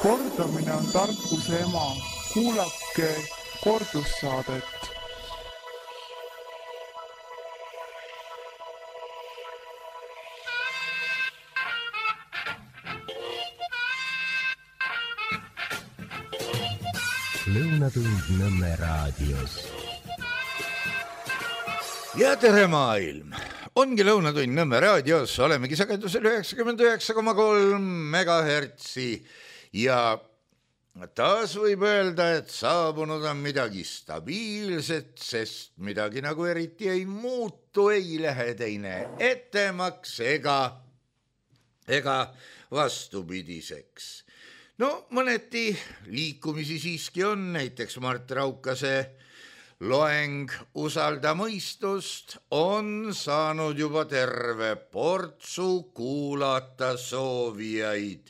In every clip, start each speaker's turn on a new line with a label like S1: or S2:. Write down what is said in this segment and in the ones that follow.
S1: Kordamine on tarkuse ema. Kuulake kordussaadet.
S2: Lõunatund Nõmme raadios.
S3: Ja tere maailm! Ongi Lõunatund Nõmme raadios, olemegi sagedusel 99,3 megahertsi ja taas võib öelda, et saabunud on midagi stabiilset, sest midagi nagu eriti ei muutu, ei lähe teine ettemaks ega vastupidiseks. No mõneti liikumisi siiski on, näiteks Mart Raukase loeng Usalda mõistust on saanud juba terve portsu kuulata soovijaid.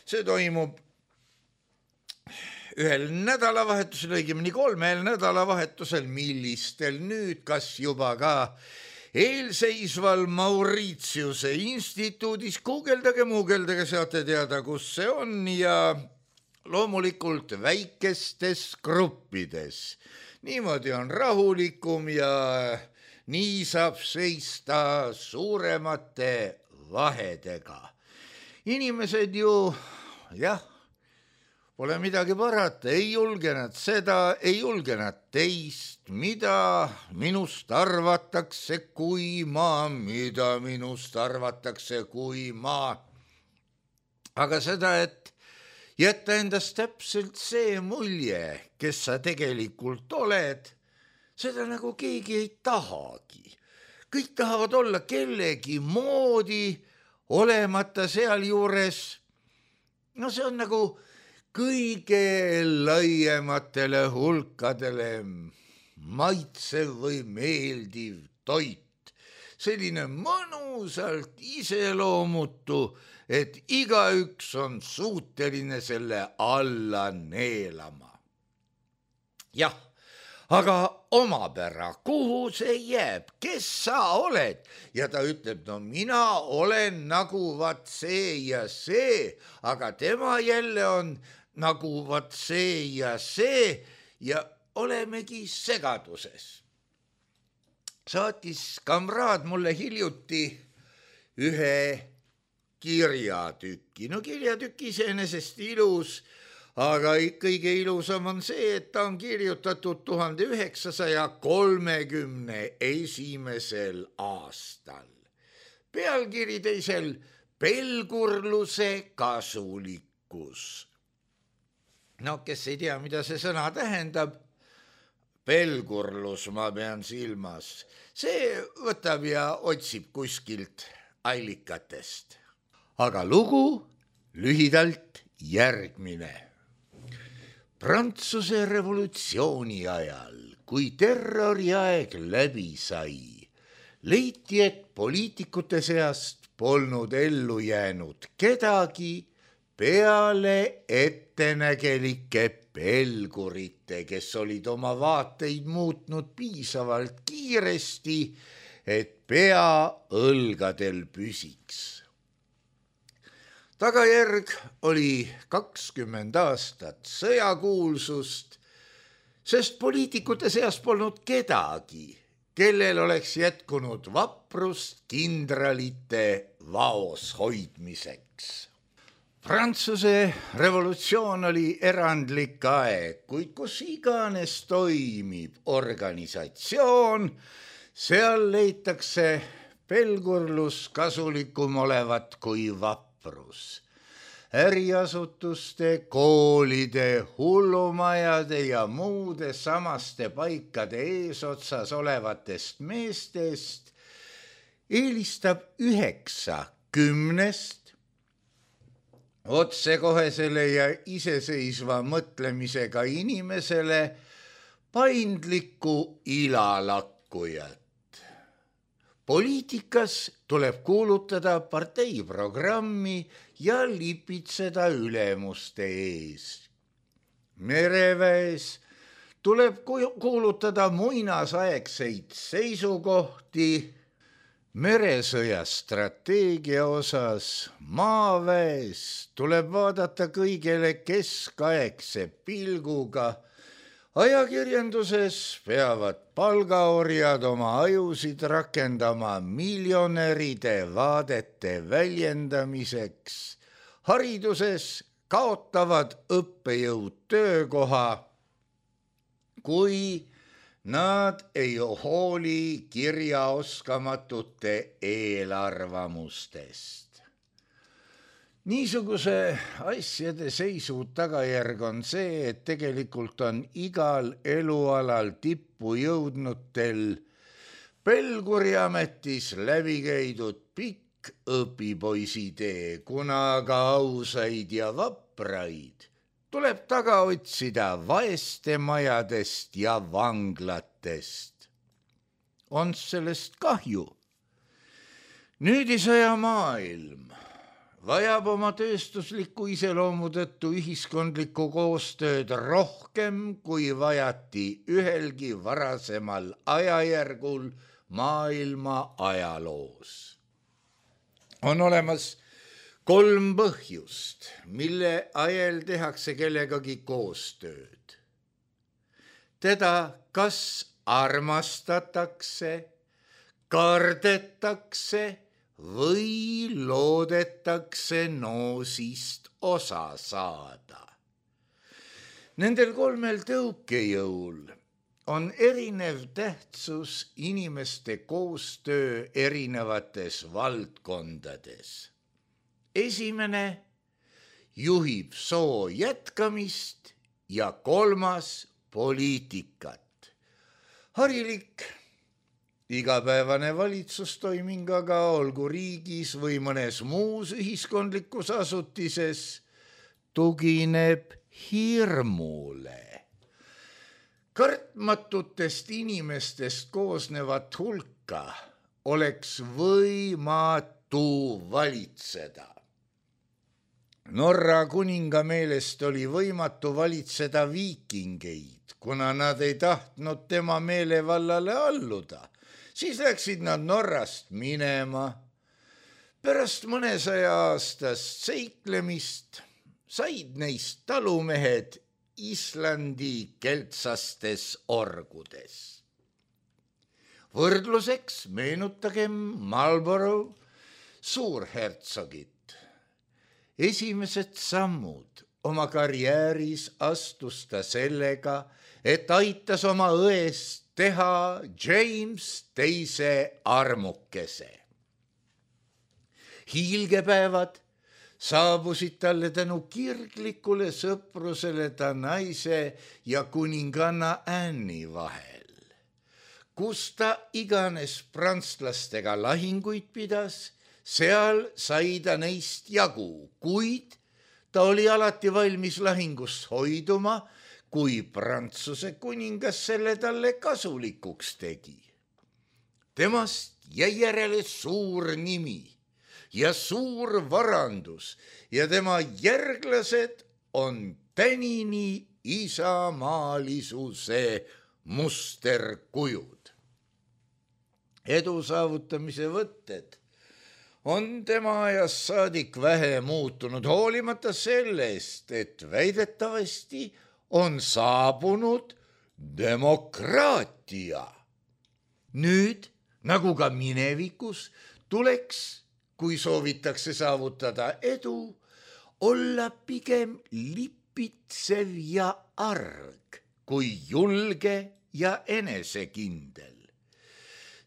S3: See toimub ühel nädalavahetusel, õigemini 3 nädalavahetusel, millistel nüüd, kas juba ka eelseisval Mauritiuse instituudis. Guugeldage, saate teada, kus see on ja loomulikult väikestes gruppides. Niimoodi on rahulikum ja nii saab seista suuremate vahedega. Inimesed ju, pole midagi parata, ei julge nad seda, ei julge nad teist, mida minust arvatakse, mida minust arvatakse, kui ma. Aga seda, et jätta endast täpselt see mulje, kes sa tegelikult oled, seda nagu keegi ei tahagi. Kõik tahavad olla kellegi moodi, olemata seal juures. No see on nagu kõige laiematele hulkadele maitsev või meeldiv toit. Selline mõnusalt iseloomutu, et igaüks on suuteline selle alla neelama. Jah, aga omapära, kuhu see jääb, kes sa oled? Ja ta ütleb, no mina olen nagu vaat see ja see, aga tema jälle on nagu vaat see ja olemegi segaduses. Saatis kamraad mulle hiljuti ühe kirjatüki. No kirjatüki iseenesest ilus, aga kõige ilusam on see, et ta on kirjutatud 1931. aastal. Pealkiri teisel pelgurluse kasulikkus. No, kes ei tea, mida see sõna tähendab, pelgurlus ma pean silmas. See võtab ja otsib kuskilt allikatest. Aga lugu lühidalt järgmine. Prantsuse revolutsiooni ajal, kui terroriaeg läbi sai, leiti, et poliitikute seast polnud ellu jäänud kedagi peale ettenägelike pelgurite, kes olid oma vaateid muutnud piisavalt kiiresti, et pea õlgadel püsiks. Tagajärg oli 20 aastat sõjakuulsust, sest poliitikute seas polnud kedagi, kellel oleks jätkunud vaprust kindralite vaos hoidmiseks. Prantsuse revolutsioon oli erandlik aeg, kuid kus iganes toimib organisatsioon, seal leitakse pelgurlus kasulikum olevat kui vaprus. Äriasutuste, koolide, hullumajade ja muude samaste paikade eesotsas olevatest meestest eelistab 9/10 otsekohesele ja iseseisva mõtlemisega inimesele paindlikku ilalakkujat. Poliitikas tuleb kuulutada parteiprogrammi ja lipitseda ülemuste ees. Mereväes tuleb kuulutada muinasaegseid seisukohti, Meresõja strateegia osas maaväes tuleb vaadata kõigele keskaegse pilguga. Ajakirjanduses peavad palgaorjad oma ajusid rakendama miljonäride vaadete väljendamiseks. Hariduses kaotavad õppejõud töökoha, kui nad ei hooli kirjaoskamatute eelarvamustest. Niisuguse asjade seisu tagajärg on see, et tegelikult on igal elualal tippu jõudnutel Pelguriametis läbi käidud pikk õpipoisitee, kuna aga ausaid ja vapraid tuleb taga otsida vaeste majadest ja vanglatest. On sellest kahju. Nüüdisaja maailm vajab oma tööstusliku iseloomu tõttu ühiskondlikku koostööd rohkem, kui vajati ühelgi varasemal ajajärgul maailma ajaloos. On olemas 3 põhjust, mille ajel tehakse kellegagi koostööd. Teda kas armastatakse, kardetakse või loodetakse noosist osa saada. Nendel 3 tõukejõul on erinev tähtsus inimeste koostöö erinevates valdkondades. Esimene juhib soo jätkamist ja 3. poliitikat. Harilik igapäevane valitsustoiming aga olgu riigis või mõnes muus ühiskondlikus asutises tugineb hirmule. Kartmatutest inimestest koosnevat hulka oleks võimatu valitseda. Norra kuninga meelest oli võimatu valitseda viikingeid, kuna nad ei tahtnud tema meelevallale alluda. Siis läksid nad Norrast minema. Pärast mõnesaja aastast seiklemist said neist talumehed Islandi keltsastes orgudes. Võrdluseks meenutagem Marlborough suurhertsogit. Esimesed sammud oma karjääris astus ta sellega, et aitas oma õest teha James II armukese. Hiilgepäevad saabusid talle tänu kirglikule sõprusele ta naise ja kuninganna Anne'i vahel. Kus ta iganes prantslastega lahinguid pidas, seal sai ta neist jagu, kuid ta oli alati valmis lahingust hoiduma, kui Prantsuse kuningas selle talle kasulikuks tegi. Temast jäi järele suur nimi ja suur varandus ja tema järglased on tänini isamaalisuse musterkujud. Edu saavutamise võtted on tema ajast saadik vähe muutunud, hoolimata sellest, et väidetavasti on saabunud demokraatia. Nüüd, nagu ka minevikus, tuleks, kui soovitakse saavutada edu, olla pigem lipitsev ja arg, kui julge ja enesekindel.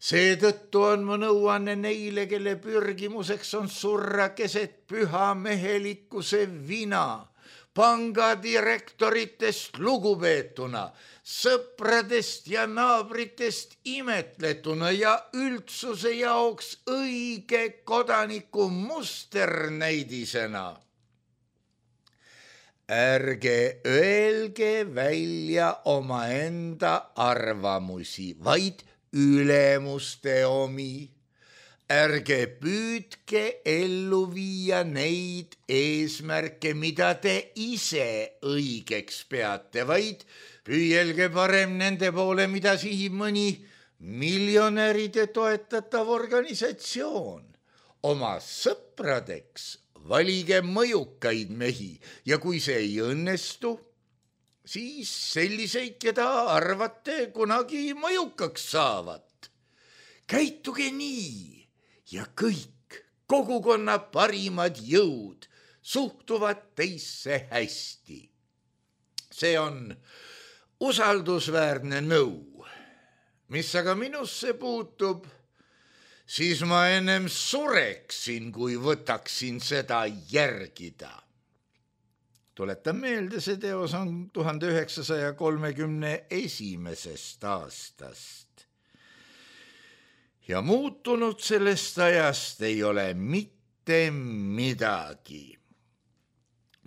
S3: Seetõttu on mu nõuanne neile, kelle pürgimuseks on surra keset püha mehelikkuse vina, pangadirektoritest lugupeetuna, sõpradest ja naabritest imetletuna ja üldsuse jaoks õige kodaniku musternäidisena. Ärge öelge välja omaenda arvamusi, vaid ülemuste omi. Ärge püüdke ellu viia neid eesmärke, mida te ise õigeks peate, vaid püüelge parem nende poole, mida sihib mõni miljonäride toetatav organisatsioon. Oma sõpradeks valige mõjukaid mehi ja kui see ei õnnestu, siis selliseid, keda arvate kunagi mõjukaks saavat. Käituge nii ja kõik kogukonna parimad jõud suhtuvad teisse hästi. See on usaldusväärne nõu. Mis aga minusse puutub, siis ma ennem sureksin, kui võtaksin seda järgida. Tuletan meelde, see teos on 1931. aastast. Ja muutunud sellest ajast ei ole mitte midagi.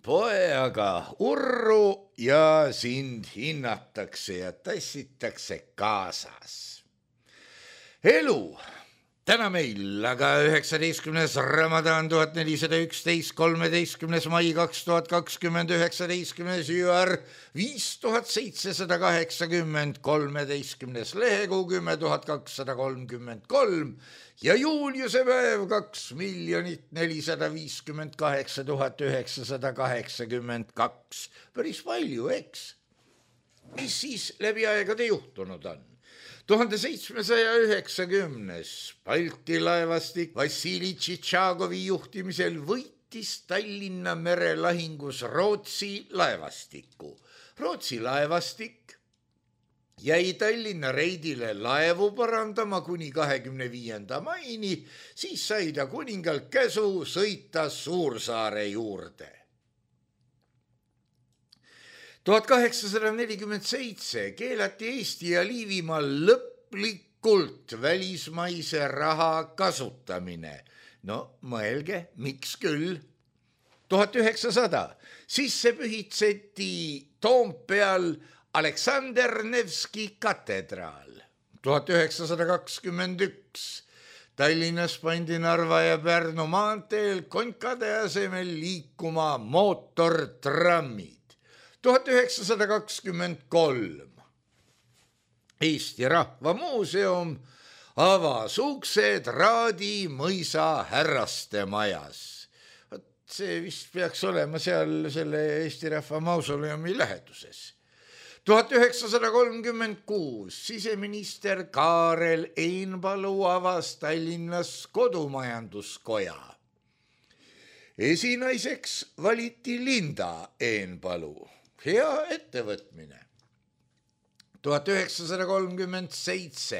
S3: Poe aga urru ja sind hinnatakse ja tassitakse kaasas. Elu täna meil aga 19. Ramadan 1411, 13. mai 2020, 19. jüar 5780, 13. lehekuu 10233 ja Juliuse päev 2,458,982. Päris palju, eks? Mis siis läbi aegade juhtunud on? 1790. Balti laevastik Vassili Tšitšagovi juhtimisel võitis Tallinna merelahingus Rootsi laevastiku. Rootsi laevastik jäi Tallinna reidile laevu parandama kuni 25. maini, siis sai ta kuningalt käsu sõita Suursaare juurde. 1847 keelati Eesti ja Liivimaal lõplikult välismaise raha kasutamine. No mõelge, miks küll? 1900 sisse pühitseti Toompeal Aleksander Nevski katedraal. 1921 Tallinnas pandi Narva ja Pärnu maanteel konkade asemel liikuma mootortrammid. 1923 Eesti Rahva Muuseum avas uksed Raadi mõisa härraste majas. See vist peaks olema seal selle Eesti Rahva Mausoleumi läheduses. 1936 siseminister Kaarel Einpalu avas Tallinnas kodumajanduskoja. Esinaiseks valiti Linda Einpalu. Hea ettevõtmine. 1937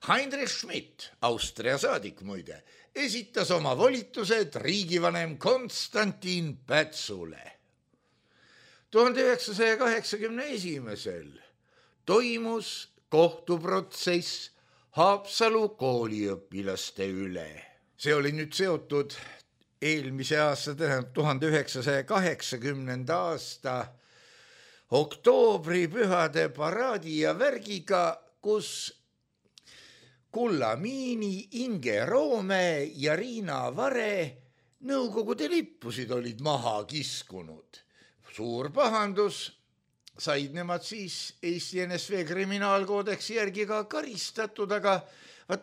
S3: Heinrich Schmidt, Austria saadik muide, esitas oma volitused riigivanem Konstantin Pätsule. 1981 toimus kohtuprotsess Haapsalu kooliõpilaste üle. See oli nüüd seotud eelmise aasta, 1980. aasta oktoobripühade paraadi ja värgiga, kus Kulla Miini, Inge Roome ja Riina Vare Nõukogude lippusid olid maha kiskunud. Suur pahandus, said nemad siis Eesti NSV kriminaalkoodeksi järgi ka karistatud, aga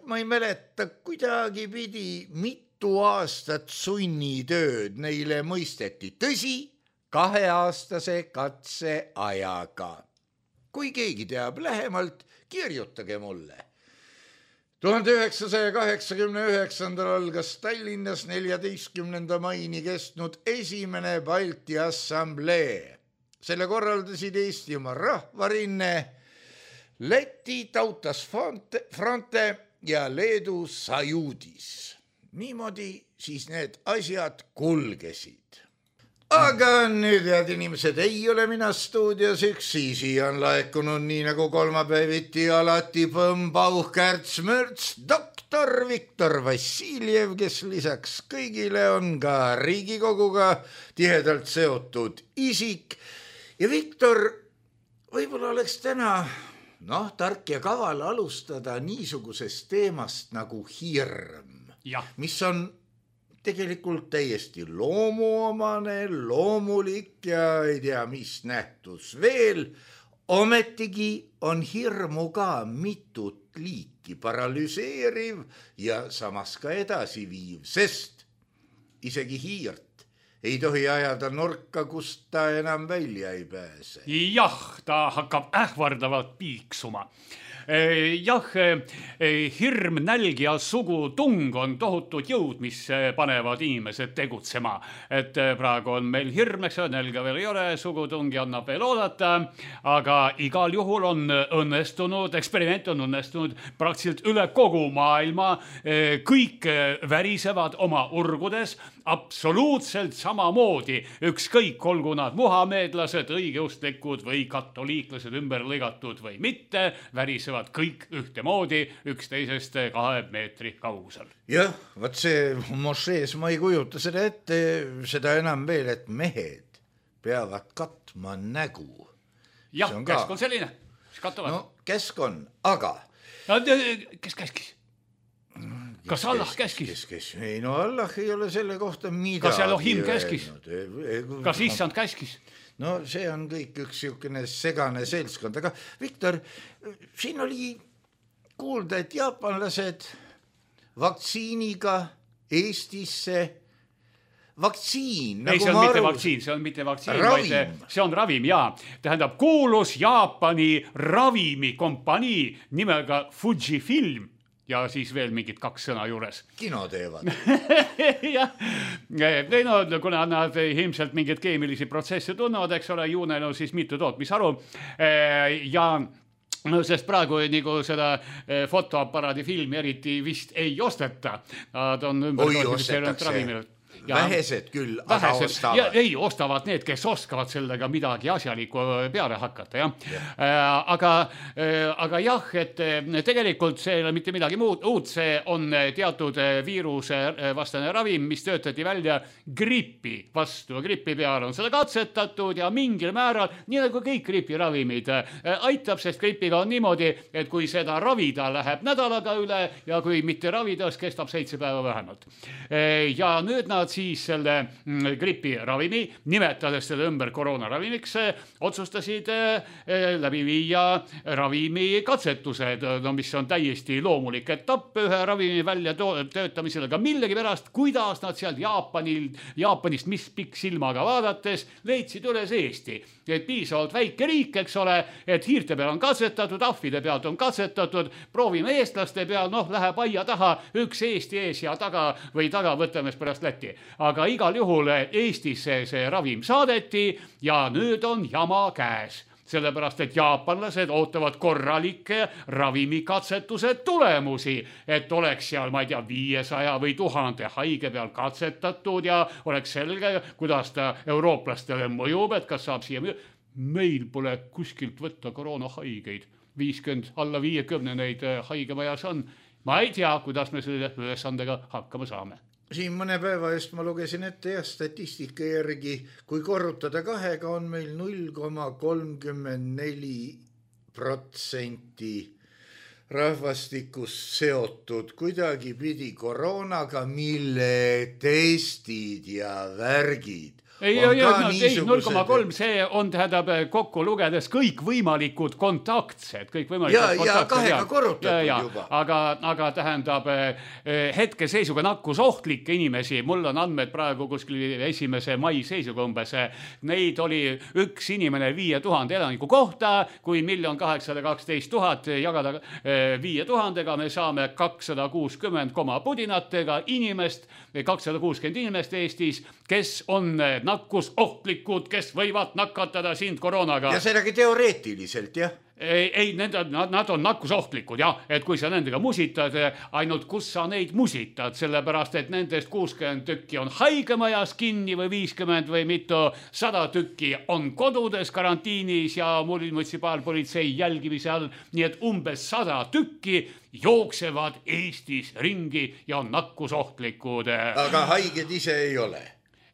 S3: ma ei mäleta, kuidagi pidi mitu aastat sunnitööd neile mõisteti. Tõsi, 2-aastase katseajaga. Kui keegi teab lähemalt, kirjutage mulle. 1989 algas Tallinnas 14. maini kestnud esimene Balti Assamblee. Selle korraldasid Eestimaa Rahvarinne, Läti Tautas Fronte ja Leedu Sajudis. Niimoodi siis need asjad kulgesid. Aga nüüd, head inimesed, ei ole mina stuudios üksi, siia on laekunud nii nagu kolmapäeviti alati Põmm-Pauh-Kärts-Mörts doktor Viktor Vassiljev, kes lisaks kõigile on ka Riigikoguga tihedalt seotud isik. Ja Viktor, võib-olla oleks täna tark ja kaval alustada niisugusest teemast nagu hirm, mis on tegelikult täiesti loomuomane, loomulik ja ei tea mis nähtus veel. Ometigi on hirmu ka mitut liiki paralüseeriv ja samas ka edasiviiv, sest isegi hiirt ei tohi ajada nurka, kust ta enam välja ei pääse.
S4: Jah, ta hakkab ähvardavalt piiksuma. Jah, hirm, nälg ja sugutung on tohutud jõud, mis panevad inimesed tegutsema. Et praegu on meil hirm, eks nälga veel ei ole, sugutung annab veel oodata, aga igal juhul on õnnestunud, eksperiment on õnnestunud praktiliselt üle kogu maailma. Kõik värisevad oma urgudes absoluutselt samamoodi, ükskõik olgu nad muhameedlased, õigeustlikud või katoliiklased ümber lõigatud või mitte, värisevad kõik ühtemoodi üksteisest 2 meetri kaugusel.
S3: Jah, vaat see mošees ma ei kujuta seda ette, seda enam veel, et mehed peavad katma nägu.
S4: Jah, käsk on selline, mis katavad.
S3: No käsk on, aga...
S4: Kes käskis? Kas Allah käskis?
S3: Ei, no Allah ei ole selle kohta midagi.
S4: Kas Elohim käskis? Kas issand käskis?
S3: No see on kõik üks siukene segane seltskond, aga Viktor, siin oli kuulda, et jaapanlased vaktsiiniga Eestisse vaktsiin.
S4: Ei, see on mitte vaktsiin, see on mitte vaktsiin, vaid see on ravim, jaa. Tähendab, kuulus Jaapani ravimikompanii nimega Fujifilm ja siis veel mingid 2 sõna juures.
S3: Kino teevad.
S4: Jah, no, kuna nad ilmselt mingeid keemilisi protsesse tunnevad, eks ole, juunel on siis mitu tootmisharu ja no, sest praegu nagu seda fotoaparaadi filmi eriti vist ei osteta. Nad on ümber ravimilt.
S3: Vähesed küll, aga ostavad.
S4: Ei, ostavad need, kes oskavad sellega midagi asjalikku peale hakata, jah. Aga jah, et tegelikult see ei ole mitte midagi muud, see on teatud viiruse vastane ravim, mis töötati välja gripi vastu. Gripi peal on seda katsetatud ja mingil määral, nii nagu kõik gripiravimid, aitab, sest gripiga on niimoodi, et kui seda ravida läheb nädalaga üle ja kui mitte ravida, siis kestab 7 päeva vähemalt. Ja nüüd nad siis selle gripiravimi, nimetades selle ümber koroonaravimiks, otsustasid läbi viia ravimi katsetused, no, mis on täiesti loomulik etapp ühe ravimi välja töötamisel, aga millegi pärast, kuidas nad seal Jaapanist mis pikk silmaga vaadates leidsid üles Eesti. Et piisavalt väike riik, eks ole, et hiirte peal on katsetatud, ahvide pealt on katsetatud, proovime eestlaste peal, noh, läheb aia taha, üks Eesti ees ja taga võtame pärast Läti. Aga igal juhul Eestisse see ravim saadeti ja nüüd on jama käes. Sellepärast, et jaapanlased ootavad korralikke ravimikatsetuse tulemusi, et oleks seal, ma ei tea, 500 või 1000 haige peal katsetatud ja oleks selge, kuidas ta eurooplastele mõjub, et kas saab siia. Meil pole kuskilt võtta koroonahaigeid. 50, alla 50 neid haigemajas on. Ma ei tea, kuidas me selle ülesandega hakkama saame.
S3: Siin mõne päeva eest ma lugesin ette ja statistika järgi, kui korrutada 2-ga on meil 0,34% rahvastikust seotud kuidagi pidi koroonaga, mille testid ja värgid.
S4: Ei, 0,3, see on, tähendab, kokku lugedes kõik võimalikud kontaktsed.
S3: Ja 2-ga korrutatud juba.
S4: Aga tähendab, hetkeseisuga nakkusohtlikke inimesi, mul on andmed praegu kuskil 1. mai seisuga umbes, neid oli üks inimene 5000 elaniku kohta, kui 1 812 000 jagada 5000-ga, me saame 260 pudinatega inimest, 260 inimest Eestis, kes on nakkusohtlikud, kes võivad nakatada sind koroonaga.
S3: Ja sedagi teoreetiliselt, jah?
S4: Ei, nad on nakkusohtlikud, jah, et kui sa nendega musitad, ainult kus sa neid musitad, sellepärast, et nendest 60 tükki on haigemajas kinni või 50 või mitu 100 tükki on kodudes karantiinis ja munitsipaalpolitsei jälgimise all, nii et umbes 100 tükki jooksevad Eestis ringi ja on nakkusohtlikud.
S3: Aga haiged ise ei ole?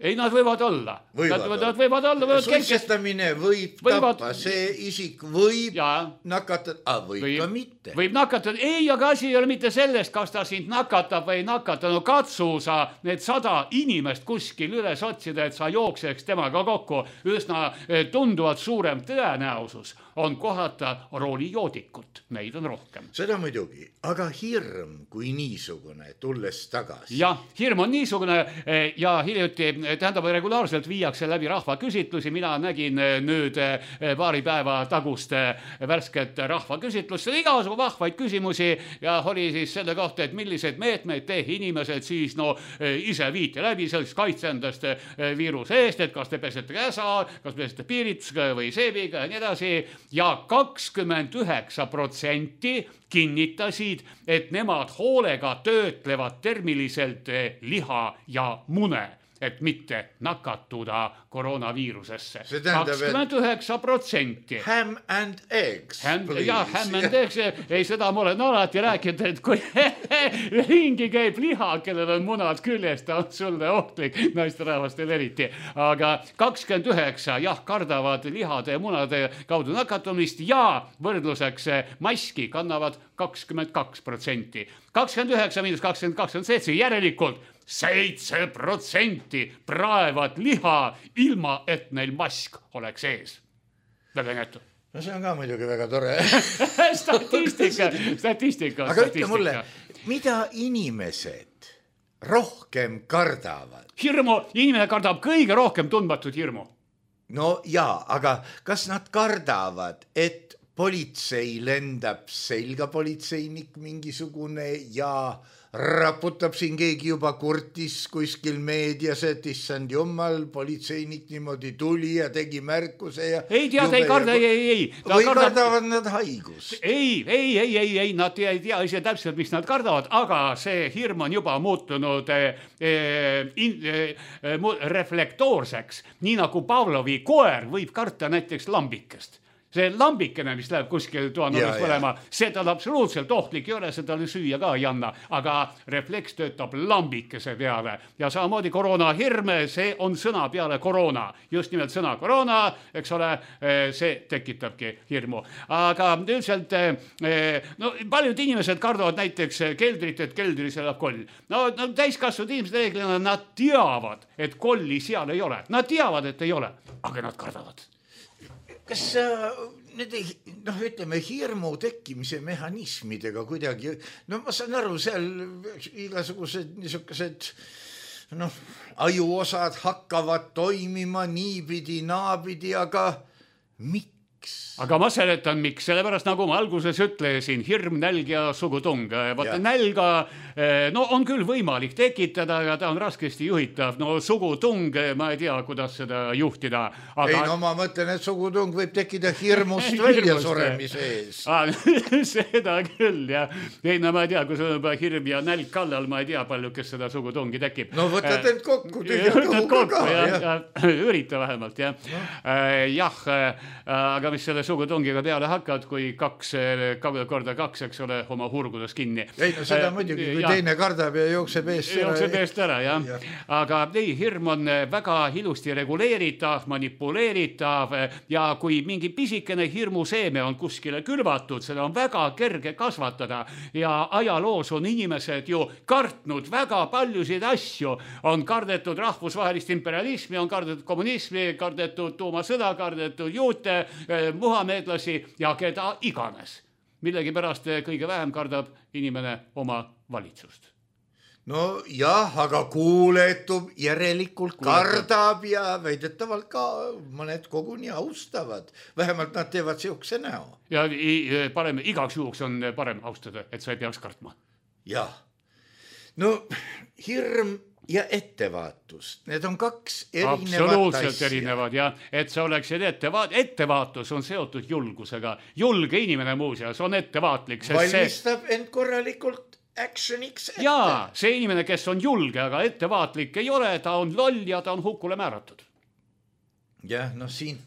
S4: Ei, nad võivad olla. Nad võivad olla.
S3: Suitsetamine võib tappa, see isik võib nakatada, võib ka mitte.
S4: Võib nakatada, ei, aga asi ei ole mitte sellest, kas ta sind nakatab või ei nakata. No katsu sa need 100 inimest kuskil üles otsida, et sa jookseks temaga kokku. Üsna tunduvalt suurem tõenäosus on kohata roolijoodikut, neid on rohkem.
S3: Seda muidugi, aga hirm kui niisugune, tulles tagasi.
S4: Jah, hirm on niisugune ja hiljuti, tähendab, regulaarselt viiakse läbi rahvaküsitlusi. Mina nägin nüüd paari päeva tagust värsket rahvaküsitlust. See oli igasugu vahvaid küsimusi ja oli siis selle kohta, et millised meetmeid inimesed siis ise viite läbi, selleks kaitse endast viiruse eest, et kas te pesete käsa, kas pesete piiritusega või seebiga ja nii edasi. Ja 29% kinnitasid, et nemad hoolega töötlevad termiliselt liha ja mune, et mitte nakatuda koroonaviirusesse. 29%.
S3: Ham and eggs, please.
S4: Ja, ham and eggs. Ei, seda ma olen alati rääkinud, et kui ringi käib liha, kellel on munad küljes, ta on sulle ohtlik, naisterahvastel eriti. Aga 29, jah, kardavad lihade ja munade kaudu nakatumist ja võrdluseks maski kannavad 22%. 29 miinus 22 on 7, järelikult 7% praevad liha ilma, et neil mask oleks ees. Väga nätu.
S3: No see on ka muidugi väga tore.
S4: Statistika.
S3: Aga ütle mulle, mida inimesed rohkem kardavad?
S4: Hirmu, inimene kardab kõige rohkem tundmatut hirmu.
S3: No jaa, aga kas nad kardavad, et politsei lendab selga politseinik mingisugune ja raputab siin keegi juba kurtis kuskil meedias, et issand jumal, politseinik niimoodi tuli ja tegi märkuse ja...
S4: Ei tead, ei karda, ei.
S3: Või kardavad nad haigus?
S4: Ei, nad ei tea ise täpselt, mis nad kardavad, aga see hirm on juba muutunud reflektoorseks, nii nagu Pavlovi koer võib karta näiteks lambikest. See lambikene, mis läheb kuskil toanurgas põlema, see tal absoluutselt ohtlik ei ole, see talle süüa ka ei anna, aga refleks töötab lambikese peale. Ja samamoodi koroonahirm, see on sõna peale koroona. Just nimelt sõna koroona, eks ole, see tekitabki hirmu. Aga üldiselt, paljud inimesed kardavad näiteks keldrit, et keldris elab koll. No täiskasvanud inimesed reeglina, nad teavad, et kolli seal ei ole. Nad teavad, et ei ole, aga nad kardavad.
S3: Kas need, ütleme, hirmu tekkimise mehhanismidega kuidagi, ma saan aru, seal igasugused niisugused, ajuosad hakkavad toimima niipidi, naapidi, aga miks?
S4: Aga ma seletan, miks. Sellepärast, nagu ma alguses ütlesin, hirm, nälg ja sugutung. Vaata, nälga, on küll võimalik tekitada, aga ta on raskesti juhitav. Sugutung, ma ei tea, kuidas seda juhtida. Aga...
S3: Ei, ma mõtlen, et sugutung võib tekkida hirmust välja suremise ees.
S4: Seda küll, jah. Ei, ma ei tea, kui sul on hirm ja nälg kallal, ma ei tea palju, kes seda sugutungi tekib.
S3: Võtad end kokku.
S4: Võtad kokku, jah. Ürita vähemalt, jah. Jah, aga mis selle sugutungiga peale hakkad, kui 2 korda 2, eks ole, oma hurgudes kinni.
S3: Ei, seda muidugi, kui teine kardab ja jookseb eest
S4: ära. Jah. Aga ei, hirm on väga ilusti reguleeritav, manipuleeritav ja kui mingi pisikene hirmuseeme on kuskile külvatud, seda on väga kerge kasvatada ja ajaloos on inimesed ju kartnud väga paljusid asju. On kardetud rahvusvahelist imperialismi, on kardetud kommunismi, kardetud tuumasõda, kardetud juute, muhameedlasi ja keda iganes. Millegi pärast kõige vähem kardab inimene oma valitsust.
S3: No jah, aga kuuletub, järelikult kardab ja väidetavalt ka mõned koguni austavad. Vähemalt nad teevad siukse näo.
S4: Ja parem, igaks juhuks on parem austada, et sa ei peaks kartma.
S3: Jah. No hirm ja ettevaatus. Need on 2 erinevat
S4: absoluutselt
S3: asja.
S4: Erinevad, jah. Et sa oleksid ettevaatus on seotud julgusega. Julge inimene muuseas on ettevaatlik.
S3: Valmistab end korralikult actioniks ette.
S4: Jaa, see inimene, kes on julge, aga ettevaatlik ei ole, ta on loll ja ta on hukule määratud.
S3: Jah, siin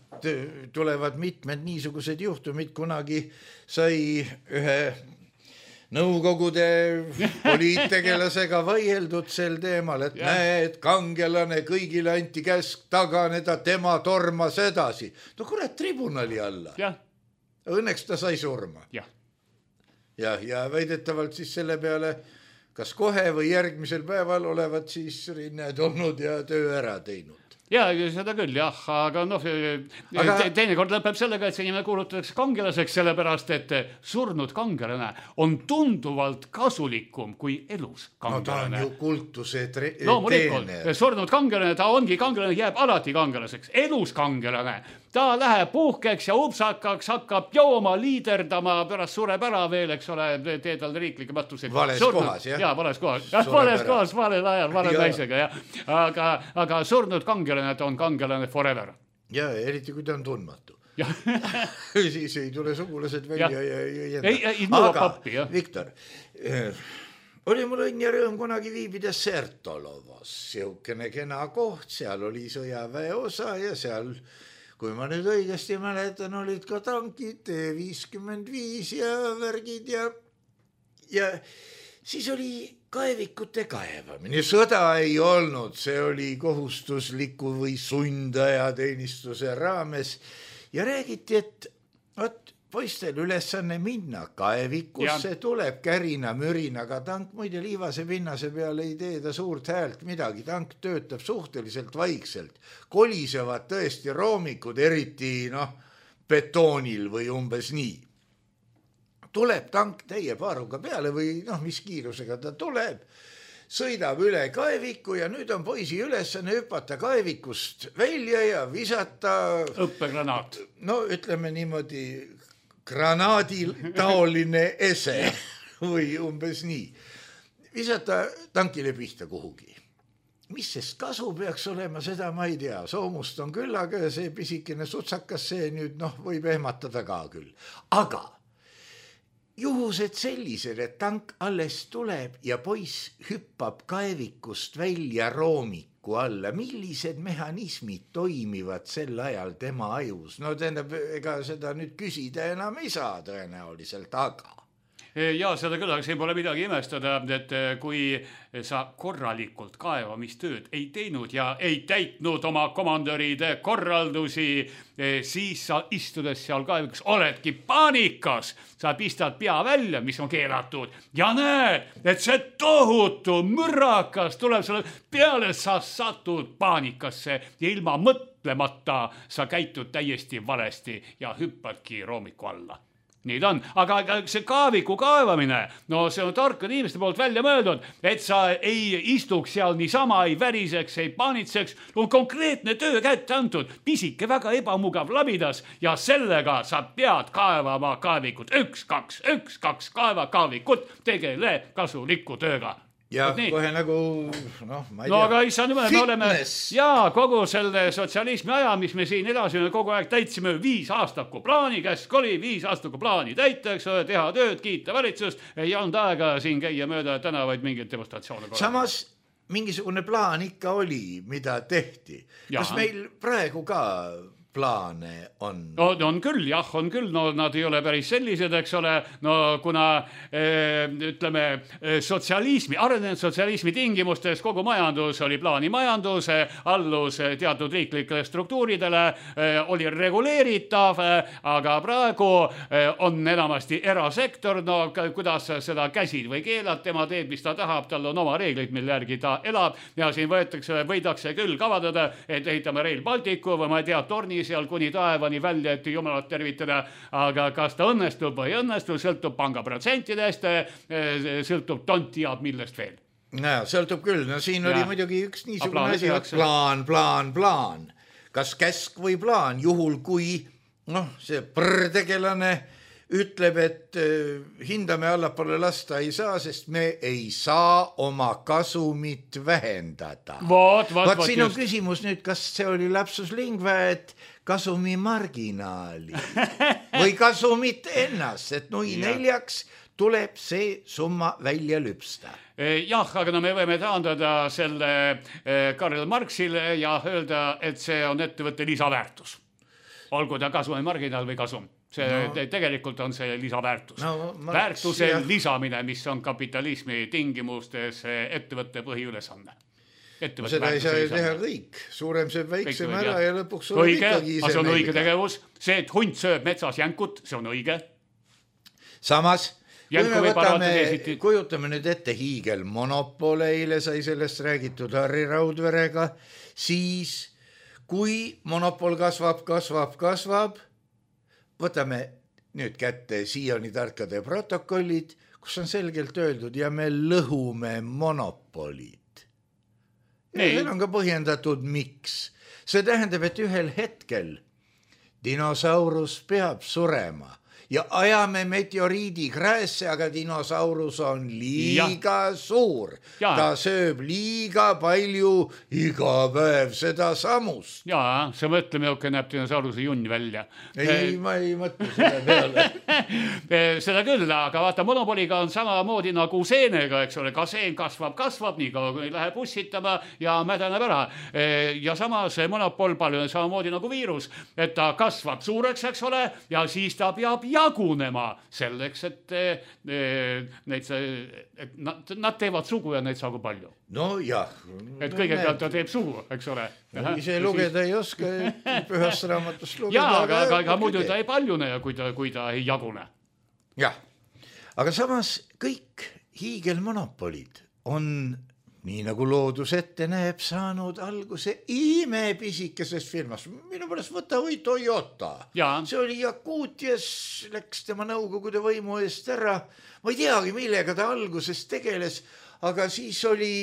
S3: tulevad mitmed niisugused juhtumid. Kunagi sai ühe nõukogude poliittegelasega vaieldud sel teemal, et näed, kangelane, kõigile anti käsk taganeda, tema tormas edasi. No kurat, tribunali alla. Õnneks ta sai surma. Ja väidetavalt siis selle peale, kas kohe või järgmisel päeval olevat siis rinned olnud ja töö ära teinud.
S4: ja seda küll jah, aga noh, teinekord lõpeb sellega, et see inimene kuulutatakse kangelaseks, sellepärast et surnud kangelane on tunduvalt kasulikum kui elus kangelane.
S3: No ta on ju kultuse
S4: teener. Surnud kangelane, ta ongi kangelane, jääb alati kangelaseks. Elus kangelane, ta läheb puhkeks ja upsakaks, hakkab jooma, liiderdama, pärast sureb ära veel, eks ole, tee tal riiklikke matuseid.
S3: Vales kohas, jah?
S4: Jaa, vales kohas. Vales kohas, valel ajal, vale naisega, jah. Aga surnud kangelane, ta on kangelane forever.
S3: Ja eriti kui ta on tundmatu. Siis ei tule sugulased välja ja
S4: aga
S3: Viktor, oli mul õnn ja rõõm kunagi viibida Sertolovas, siukene kena koht, seal oli sõjaväe osa ja seal, kui ma nüüd õigesti mäletan, olid ka tankid T-55 ja värgid ja siis oli kaevikute kaevamine. Sõda ei olnud, see oli kohustusliku või sundajateenistuse raames ja räägiti, et poistel ülesanne minna kaevikusse, tuleb kärina mürinaga tank, muide liivase pinnase peal ei tee ta suurt häält midagi, tank töötab suhteliselt vaikselt, kolisevad tõesti roomikud, eriti betoonil või umbes nii. Tuleb tank täie paaruga peale või mis kiirusega ta tuleb, sõidab üle kaeviku ja nüüd on poisi ülesanne hüpata kaevikust välja ja visata
S4: õppegranaat.
S3: No ütleme niimoodi granaaditaoline ese või umbes nii. Visata tankile pihta kuhugi. Mis sest kasu peaks olema, seda ma ei tea. Soomust on küll, aga see pisikene sutsakas, see nüüd võib ehmatada ka küll. Aga juhused sellised, et tank alles tuleb ja poiss hüppab kaevikust välja roomiku alla. Millised mehhanismid toimivad sel ajal tema ajus? No tähendab, ega seda nüüd küsida enam ei saa tõenäoliselt, aga...
S4: Ja seda küll, aga siin pole midagi imestada, et kui sa korralikult kaevamistööd ei teinud ja ei täitnud oma komandöride korraldusi, siis sa istudes seal kaevikus oledki paanikas. Sa pistad pea välja, mis on keelatud ja näed, et see tohutu mürrakas tuleb sulle peale, sa satud paanikasse ja ilma mõtlemata sa käitud täiesti valesti ja hüppadki roomiku alla. Nii ta on, aga see kaaviku kaevamine, no see on tarkade inimeste poolt välja mõeldud, et sa ei istuks seal niisama, ei väriseks, ei paanitseks, on konkreetne töö kätte antud, pisike väga ebamugav labidas ja sellega sa pead kaevama kaavikut, 1, 2 kaeva kaavikut, tegele kasuliku tööga.
S3: Ja kohe nagu, ma ei tea.
S4: No aga issa nimel me oleme, kogu selle sotsialismi aja, mis me siin edasime, kogu aeg täitsime 5 aastaku plaani, käsk oli 5 aastaku plaani täiteks, teha tööd, kiita valitsust, ei olnud aega siin käia mööda tänavaid mingit demonstratsioone.
S3: Samas mingisugune plaan ikka oli, mida tehti. Kas meil praegu ka plaane on?
S4: No on küll, on küll, no nad ei ole päris sellised, eks ole, no kuna ütleme sotsialismi, arenenud sotsialismi tingimustes kogu majandus oli plaanimajandus, allus teatud riiklikele struktuuridele, oli reguleeritav, aga praegu on enamasti erasektor, no kuidas seda käsid või keelad, tema teeb, mis ta tahab, tal on oma reeglid, mille järgi ta elab ja siin võidakse küll kavadada, et ehitame Rail Balticu või ma ei tea, torni seal kuni taevani välja, et jumalat tervitada, aga kas ta õnnestub või õnnestub, sõltub panga protsentidest, sõltub tonti ja millest veel.
S3: No, sõltub küll, no siin oli muidugi üks niisugune asi, plaan. Kas käsk või plaan, juhul kui see prõrtegelane ütleb, et hindame allapoole lasta ei saa, sest me ei saa oma kasumit vähendada. Vaat siin on küsimus nüüd, kas see oli lapsus lingva, et kasumi marginaali või kasumit ennast, et 4 tuleb see summa välja lüpsta.
S4: Jah, aga me võime taandada selle Karl Marxile ja öelda, et see on ettevõtte lisaväärtus. Olgu ta kasumi marginaal või kasum. See tegelikult on see lisaväärtus. Väärtuse lisamine, mis on kapitalismi tingimustes ettevõtte põhiülesanne.
S3: Seda ei saa teha kõik. Suurem sööb väiksem ära ja lõpuks on ikkagi ise
S4: see on õige tegevus. See, et hunt sööb metsas jänkut, see on õige.
S3: Samas, kujutame nüüd ette hiigelmonopole, eile sai sellest räägitud Harri Raudverega, siis kui monopol kasvab, võtame nüüd kätte siiani tarkade protokollid, kus on selgelt öeldud ja me lõhume monopolid. See on ka põhjendatud, miks. See tähendab, et ühel hetkel dinosaurus peab surema ja ajame meteoriidi kräässe, aga dinosaurus on liiga suur. Ta sööb liiga palju iga päev seda samust.
S4: Jaa, see mõtleme, jokke näeb dinosauruse junn välja.
S3: Ei, ma ei mõtle seda peale.
S4: Seda küll, aga vaata, monopoliga on samamoodi nagu seenega, eks ole, ka seen kasvab, nii kaua kui läheb ussitama ja mädaneb ära. Ja samas monopol palju on samamoodi nagu viirus, et ta kasvab suureks, eks ole, ja siis ta peab jagunema selleks, et nad teevad sugu ja neid sagu palju.
S3: No jah.
S4: Et kõigepealt ta teeb sugu, eks ole.
S3: Ise lugeda ei oska, pühast raamatust lugeda.
S4: Jaa, aga muidu ta ei paljune, kui ta ei jagune.
S3: Jah, aga samas kõik hiigelmonopolid on, nii nagu loodus ette näeb, saanud alguse imepisikeses firmas. Minu pärast võta või Toyota. See oli Jakutias, läks tema nõukogude võimu eest ära. Ma ei teagi, millega ta alguses tegeles, aga siis oli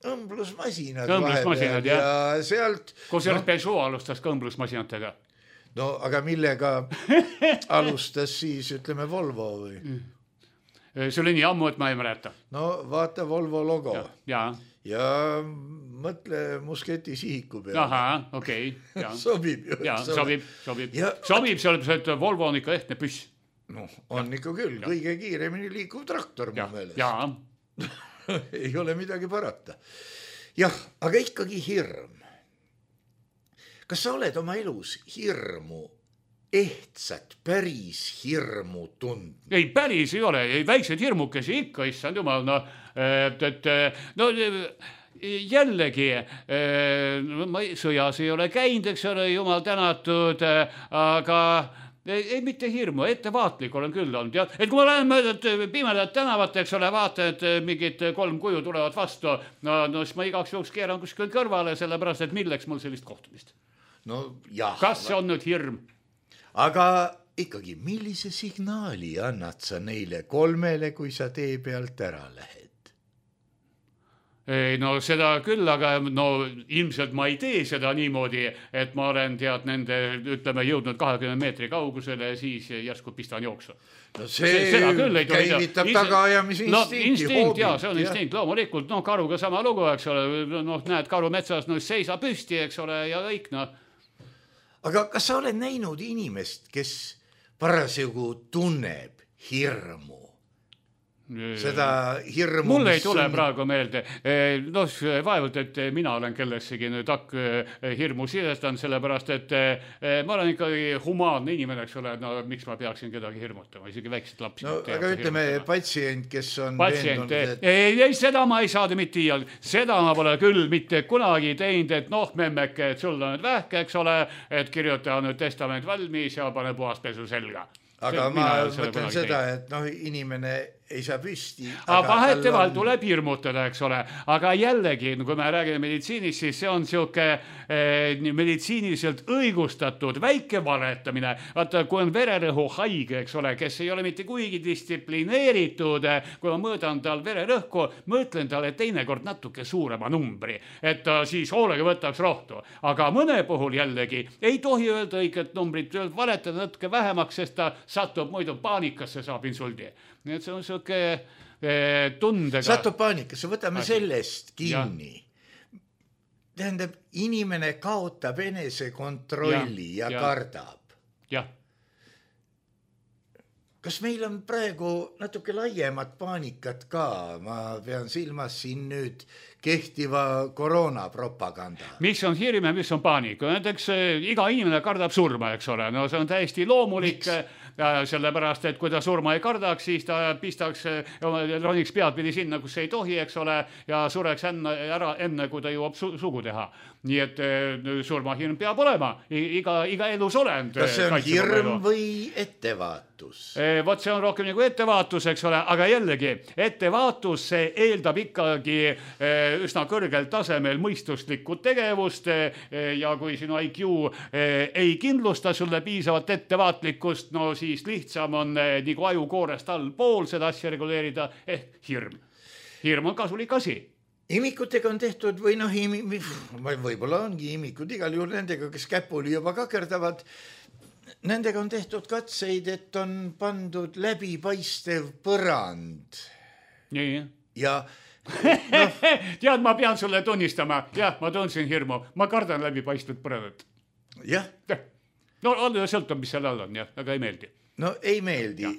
S3: õmblusmasinad
S4: vahepeal
S3: ja sealt...
S4: Kusjuures Peugeot alustas ka õmblusmasinatega.
S3: No aga millega alustas siis, ütleme, Volvo või?
S4: See oli nii ammu, et ma ei mäleta.
S3: No vaata Volvo logo.
S4: Ja
S3: mõtle musketi sihiku peale.
S4: Aha, okei.
S3: Sobib ju.
S4: Sobib. Sobib, sellepärast, et Volvo on ikka ehtne püss.
S3: No, on ikka küll. Kõige kiiremini liikuv traktor mu meeles.
S4: Jaa.
S3: Ei ole midagi parata. Jah, aga ikkagi hirm. Kas sa oled oma elus hirmu, ehtsat, päris hirmu tundnud?
S4: Ei, päris ei ole. Väikseid hirmukesi ikka, issand jumal. Jällegi, sõjas ei ole käinud, eks ole, jumal tänatud, aga... Ei, mitte hirmu, ettevaatlik olen küll olnud. Et kui ma lähen mööda pimedat tänavat, eks ole, vaatan, et mingid 3 kuju tulevad vastu, no siis ma igaks juhuks keeran kuskil kõrvale, sellepärast, et milleks mul sellist kohtumist?
S3: No jah.
S4: Kas see on nüüd hirm?
S3: Aga ikkagi, millise signaali annad sa neile 3, kui sa tee pealt ära lähed?
S4: No seda küll, aga no ilmselt ma ei tee seda niimoodi, et ma olen nende, ütleme, jõudnud 20 meetri kaugusele ja siis järsku pistan jooksu.
S3: No see käivitab tagaajamise instinkti.
S4: Instinkt, jaa, see on instinkt, loomulikult, no karuga sama lugu, eks ole, no näed karu metsas, no seisa püsti, eks ole, ja kõik, no.
S3: Aga kas sa oled näinud inimest, kes parasjagu tunneb hirmu? Seda hirmu...
S4: Mul ei tule praegu meelde. No, vaevalt, et mina olen kellessegi nüüd hirmu sidestanud, sellepärast, et ma olen ikkagi humaanne inimene, eks ole, no miks ma peaksin kedagi hirmutama, isegi väiksed lapsi.
S3: No, aga ütleme, patsient, kes on
S4: veendunud, et... Ei, seda ma ei saada mitte iial. Seda ma pole küll mitte kunagi teinud, et noh, memmeke, et sul on nüüd vähke, eks ole, et kirjuta nüüd testament valmis ja pane puhaspesu selga.
S3: Aga ma mõtlen seda, et noh, inimene ei saa püsti.
S4: Vaheteval tuleb hirmutada, eks ole. Aga jällegi, kui me räägime meditsiinist, siis see on siuke meditsiiniliselt õigustatud väike valetamine. Vaata, kui on vererõhu haige, eks ole, kes ei ole mitte kuigi distsiplineeritud, kui ma mõõdan tal vererõhku, mõtlen talle teinekord natuke suurema numbri, et ta siis hoolega võtaks rohtu. Aga mõne puhul jällegi ei tohi öelda õiget numbrit, valetada natuke vähemaks, sest ta satub muidu paanikasse, saab insuldi. Nii et see on siuke tundega.
S3: Satub paanikasse, võtame sellest kinni. Tähendab, inimene kaotab enese kontrolli ja kardab.
S4: Jah.
S3: Kas meil on praegu natuke laiemat paanikat ka? Ma pean silmas siin nüüd kehtiva koroonapropaganda.
S4: Mis on hirm ja mis on paanik? Näiteks iga inimene kardab surma, eks ole. No see on täiesti loomulik, sellepärast, et kui ta surma ei kardaks, siis ta pistaks, roniks peadpidi sinna, kus ei tohi, eks ole, ja sureks enne, kui ta jõuab sugu teha. Nii et surmahirm peab olema. Iga elus olend.
S3: Kas see on hirm või ettevaat? ettevaatus.
S4: Vot see on rohkem nagu ettevaatus, eks ole, aga jällegi, ettevaatus see eeldab ikkagi üsna kõrgel tasemel mõistuslikku tegevust ja kui sinu IQ ei kindlusta sulle piisavat ettevaatlikkust, no siis lihtsam on nagu ajukoorest allpool seda asja reguleerida ehk hirm. Hirm on kasulik asi.
S3: Imikutega on tehtud või noh, võib-olla ongi imikud igal juhul nendega, kes käpuli juba kakerdavad. Nendega on tehtud katseid, et on pandud läbipaistev põrand.
S4: Nii.
S3: Ja
S4: tead, ma pean sulle tunnistama. Jah, ma tundsin hirmu. Ma kardan läbipaistvat põrandat.
S3: Jah.
S4: No sõltub, mis seal all on, jah, aga ei meeldi.
S3: No ei meeldi.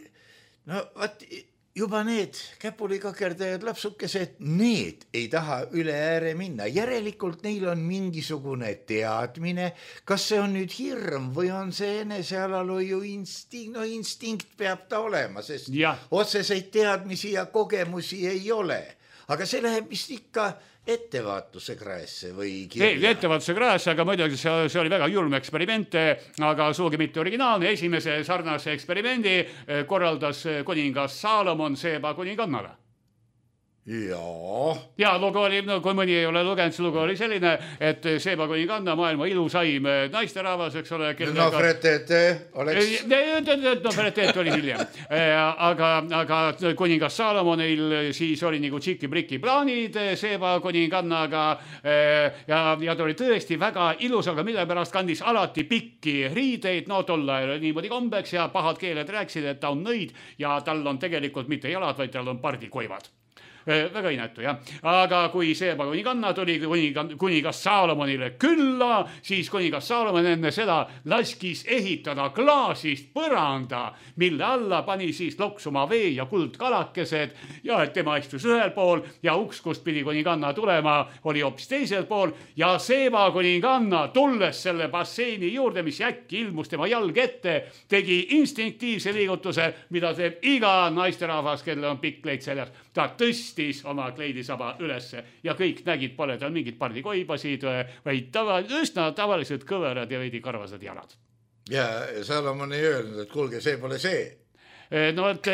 S3: No vaat juba need käpulikakerdajad lapsukesed, need ei taha üle ääre minna. Järelikult neil on mingisugune teadmine, kas see on nüüd hirm või on see enesealalhoiu instinkt. No instinkt peab ta olema, sest otseseid teadmisi ja kogemusi ei ole. Aga see läheb vist ikka ettevaatuse kraesse või kirja.
S4: Ettevaatuse kraesse, aga muidugi see oli väga julm eksperiment, aga suugi mitte originaalne. Esimese sarnase eksperimendi korraldas kuningas Saalomon Seeba kuningannale. Ja lugu oli, kui mõni ei ole lugenud, see lugu oli selline, et Seeba kuninganna maailma ilusaim naisterahvas, eks ole.
S3: Nofretete oleks.
S4: Nofretete oli hiljem. Aga kuningas Saalomonil siis oli nagu tšiki-briki plaanid Seeba kuningannaga ja ta oli tõesti väga ilus, aga mille pärast kandis alati pikki riideid, no tol ajal niimoodi kombeks ja pahad keeled rääksid, et ta on nõid ja tal on tegelikult mitte jalad, vaid tal on pardikoivad. Väga inetu, jah. Aga kui Seeba kuninganna tuli kuningas Saalomonile külla, siis kuningas Saalomon enne seda laskis ehitada klaasist põranda, mille alla pani siis loksuma vee ja kuldkalakesed ja et tema istus ühel pool ja uks, kust pidi kuninganna tulema, oli hoopis teisel pool ja Seeba kuninganna tulles selle basseini juurde, mis äkki ilmus tema jalg ette, tegi instinktiivse liigutuse, mida teeb iga naisterahvas, kellel on pikk kleid seljas. Ta tõstis oma kleidisaba ülesse ja kõik nägid, pole tal mingid pardikoibasid, vaid üsna tavalised kõverad ja veidi karvased jalad.
S3: Ja Salomon ei öelnud, et kuulge, see pole see.
S4: No et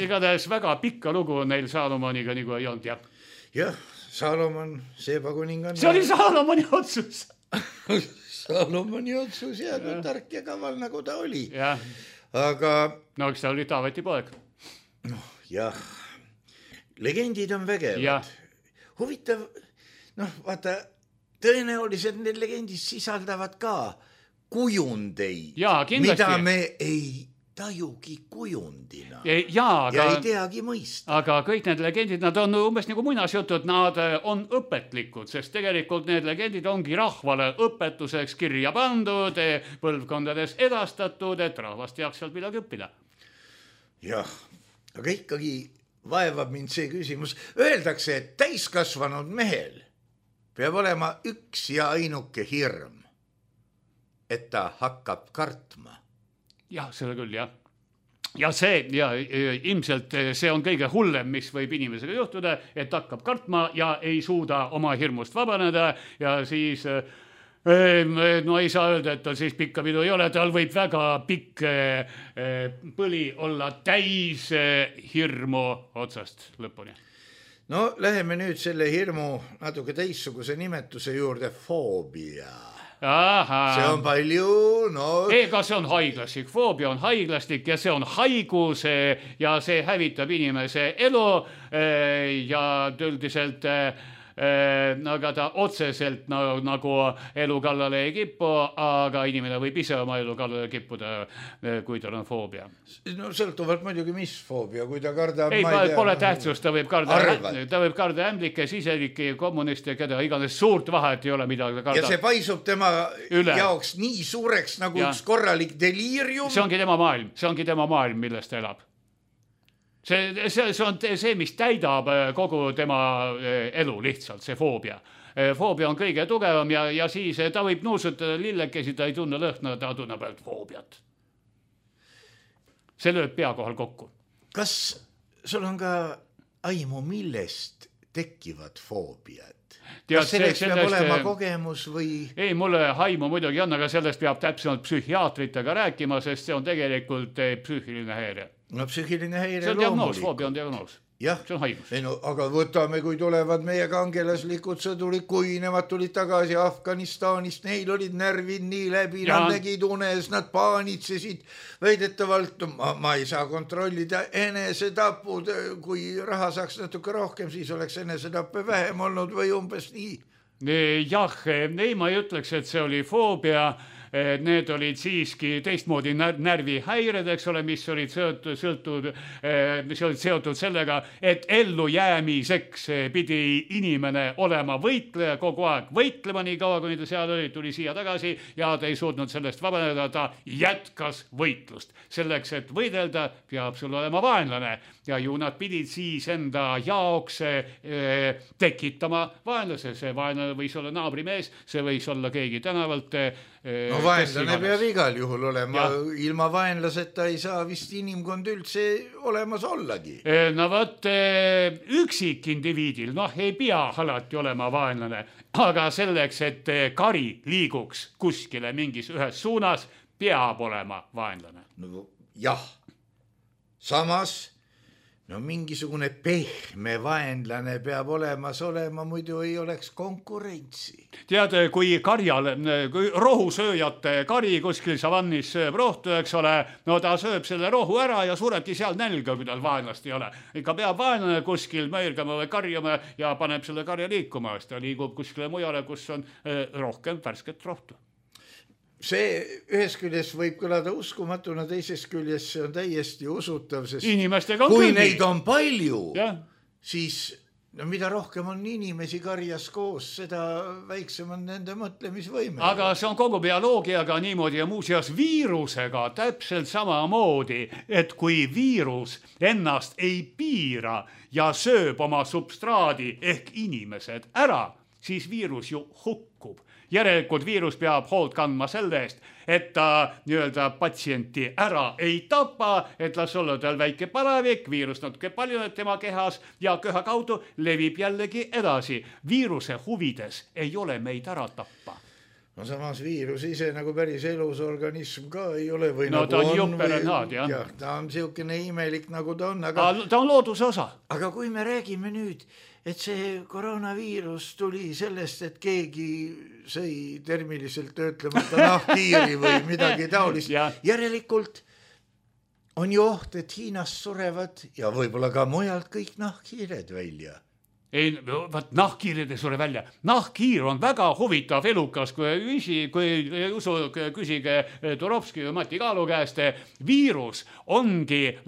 S4: igatahes väga pikka lugu neil Salomoniga nagu ei olnud, jah.
S3: Jah, Salomon, Seeba kuninganna.
S4: See oli Salomoni otsus.
S3: Salomoni otsus ja tark ja kaval nagu ta oli.
S4: Jah.
S3: Aga
S4: no, eks ta oli Taaveti poeg.
S3: Noh, jah. Legendid on vägevad. Huvitav, noh, vaata, tõenäoliselt need legendid sisaldavad ka kujundeid, mida me ei tajugi kujundina ja ei teagi mõista.
S4: Aga kõik need legendid, nad on umbes nagu muinasjutud, nad on õpetlikud, sest tegelikult need legendid ongi rahvale õpetuseks kirja pandud, põlvkondades edastatud, et rahvast jaaks sealt midagi õppida.
S3: Jah, aga ikkagi vaevab mind see küsimus. Öeldakse, et täiskasvanud mehel peab olema üks ja ainuke hirm, et ta hakkab kartma.
S4: Jah, selle küll, jah. Ja see, ja ilmselt see on kõige hullem, mis võib inimesega juhtuda, et hakkab kartma ja ei suuda oma hirmust vabaneda ja siis no ei saa öelda, et tal siis pikka pidu ei ole, tal võib väga pikk põli olla täis hirmu otsast lõpuni.
S3: No läheme nüüd selle hirmu natuke teissuguse nimetuse juurde, foobia.
S4: Aha.
S3: See on palju, no.
S4: Ega see on haiglastik, foobia on haiglastik ja see on haigus ja see hävitab inimese elu ja üldiselt aga ta otseselt nagu elu kallale ei kipu, aga inimene võib ise oma elu kallale kippuda, kui tal on foobia.
S3: No sõltuvalt muidugi, mis foobia, kui ta kardab...
S4: Ei, pole tähtsust, ta võib karda ämblike, siselikke, kommuniste, keda iganes suurt vahet ei ole, mida ta kardab.
S3: Ja see paisub tema jaoks nii suureks nagu üks korralik deliirium.
S4: See ongi tema maailm, millest ta elab. See on see, mis täidab kogu tema elu lihtsalt, see foobia. Foobia on kõige tugevam ja siis ta võib nuusutada lillekesi, ta ei tunne lõhna, ta tunneb ainult foobiat. See lööb pea kohal kokku.
S3: Kas sul on ka aimu, millest tekivad foobiad? kas selleks peab olema kogemus või?
S4: Ei, mulle haimu muidugi on, aga sellest peab täpsemalt psühhiaatritega rääkima, sest see on tegelikult psüühiline häire.
S3: No psüühiline häire
S4: see on diagnoos, foobia on diagnoos.
S3: Jah, no, aga võtame, kui tulevad meie kangelaslikud sõdurid, kui nemad tulid tagasi Afganistanist, neil olid närvid nii läbi, nad nägid unes, nad paanitsesid, väidetavalt, ma ei saa kontrollida enesetapud, kui raha saaks natuke rohkem, siis oleks enesetappe vähem olnud või umbes nii.
S4: Jah, ei, ma ei ütleks, et see oli foobia. Need olid siiski teistmoodi närvihäired, eks ole, mis olid seotud sellega, et ellu jäämiseks pidi inimene olema võitleja, kogu aeg võitlema nii kaua, kuni ta seal oli, tuli siia tagasi ja ta ei suutnud sellest vabaneda, ta jätkas võitlust. Selleks, et võidelda, peab sul olema vaenlane ja ju nad pidid siis enda jaoks tekitama vaenlase. See vaenlane võis olla naabrimees, see võis olla keegi tänavalt.
S3: No vaenlane peab igal juhul olema, ilma vaenlaseta ei saa vist inimkond üldse olemas ollagi.
S4: No võt, üksikindiviidil, ei pea alati olema vaenlane, aga selleks, et kari liiguks kuskile mingis ühes suunas, peab olema vaenlane.
S3: No jah, samas mingisugune pehme vaenlane peab olemas olema, muidu ei oleks konkurentsi.
S4: Tead, kui rohusööjate kari kuskil savannis sööb rohtu, eks ole, no ta sööb selle rohu ära ja surebki seal nälga, kui tal vaenlast ei ole. Ikka peab vaenlane kuskil mõelgama või karjama ja paneb selle karja liikuma, sest ta liigub kuskile mujale, kus on rohkem värsket rohtu.
S3: See ühes küljes võib kõlada uskumatuna, teises küljes see on täiesti usutav, sest kui neid on palju, siis mida rohkem on inimesi karjas koos, seda väiksem on nende mõtlemisvõime.
S4: Aga see on kogu bioloogiaga niimoodi ja muuseas viirusega täpselt samamoodi, et kui viirus ennast ei piira ja sööb oma substraadi ehk inimesed ära, siis viirus ju hukkub. Järelikult viirus peab hoolt kandma selle eest, et ta nii-öelda patsienti ära ei tapa, et las olla tal väike palavik, viirus natuke palju tema kehas ja köha kaudu levib jällegi edasi. Viiruse huvides ei ole meid ära tappa.
S3: No samas viirus ise nagu päris elus organism ka ei ole või
S4: no
S3: nagu
S4: ta on jupperenaad,
S3: jah. Ta on siukene imelik nagu ta on.
S4: Ta on looduse osa.
S3: Aga kui me räägime nüüd, et see koroonaviirus tuli sellest, et keegi sõi termiliselt töötlemata nahkhiiri või midagi taolist. Järelikult on ju oht, et Hiinas surevad ja võib-olla ka mujalt kõik nahkhiired välja.
S4: Ei, nahkhiirid ei sure välja. Nahkhiir on väga huvitav elukas, küsige Turovski või Mati Kaalu käest. Viirus ongi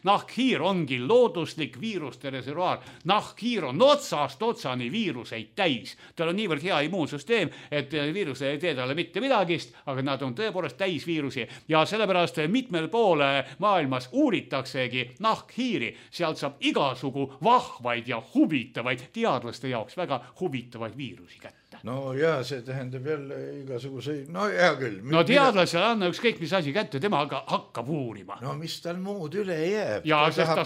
S4: nahkhiir ongi looduslik viiruste reservuaar. Nahkhiir on otsast otsani viiruseid täis. Tal on niivõrd hea immuunsüsteem, et viirus ei tee talle mitte midagist, aga nad on tõepoolest täis viirusi. Ja sellepärast mitmel poole maailmas uuritaksegi nahkhiiri. Sealt saab igasugu vahvaid ja huvitavaid, teadlaste jaoks väga huvitavaid viirusi kätte.
S3: No jaa, see tähendab jälle igasuguseid, no hea küll.
S4: No teadlasele anna ükskõik mis asi kätte, tema hakkab uurima.
S3: No mis tal muud üle jääb?
S4: Ja ta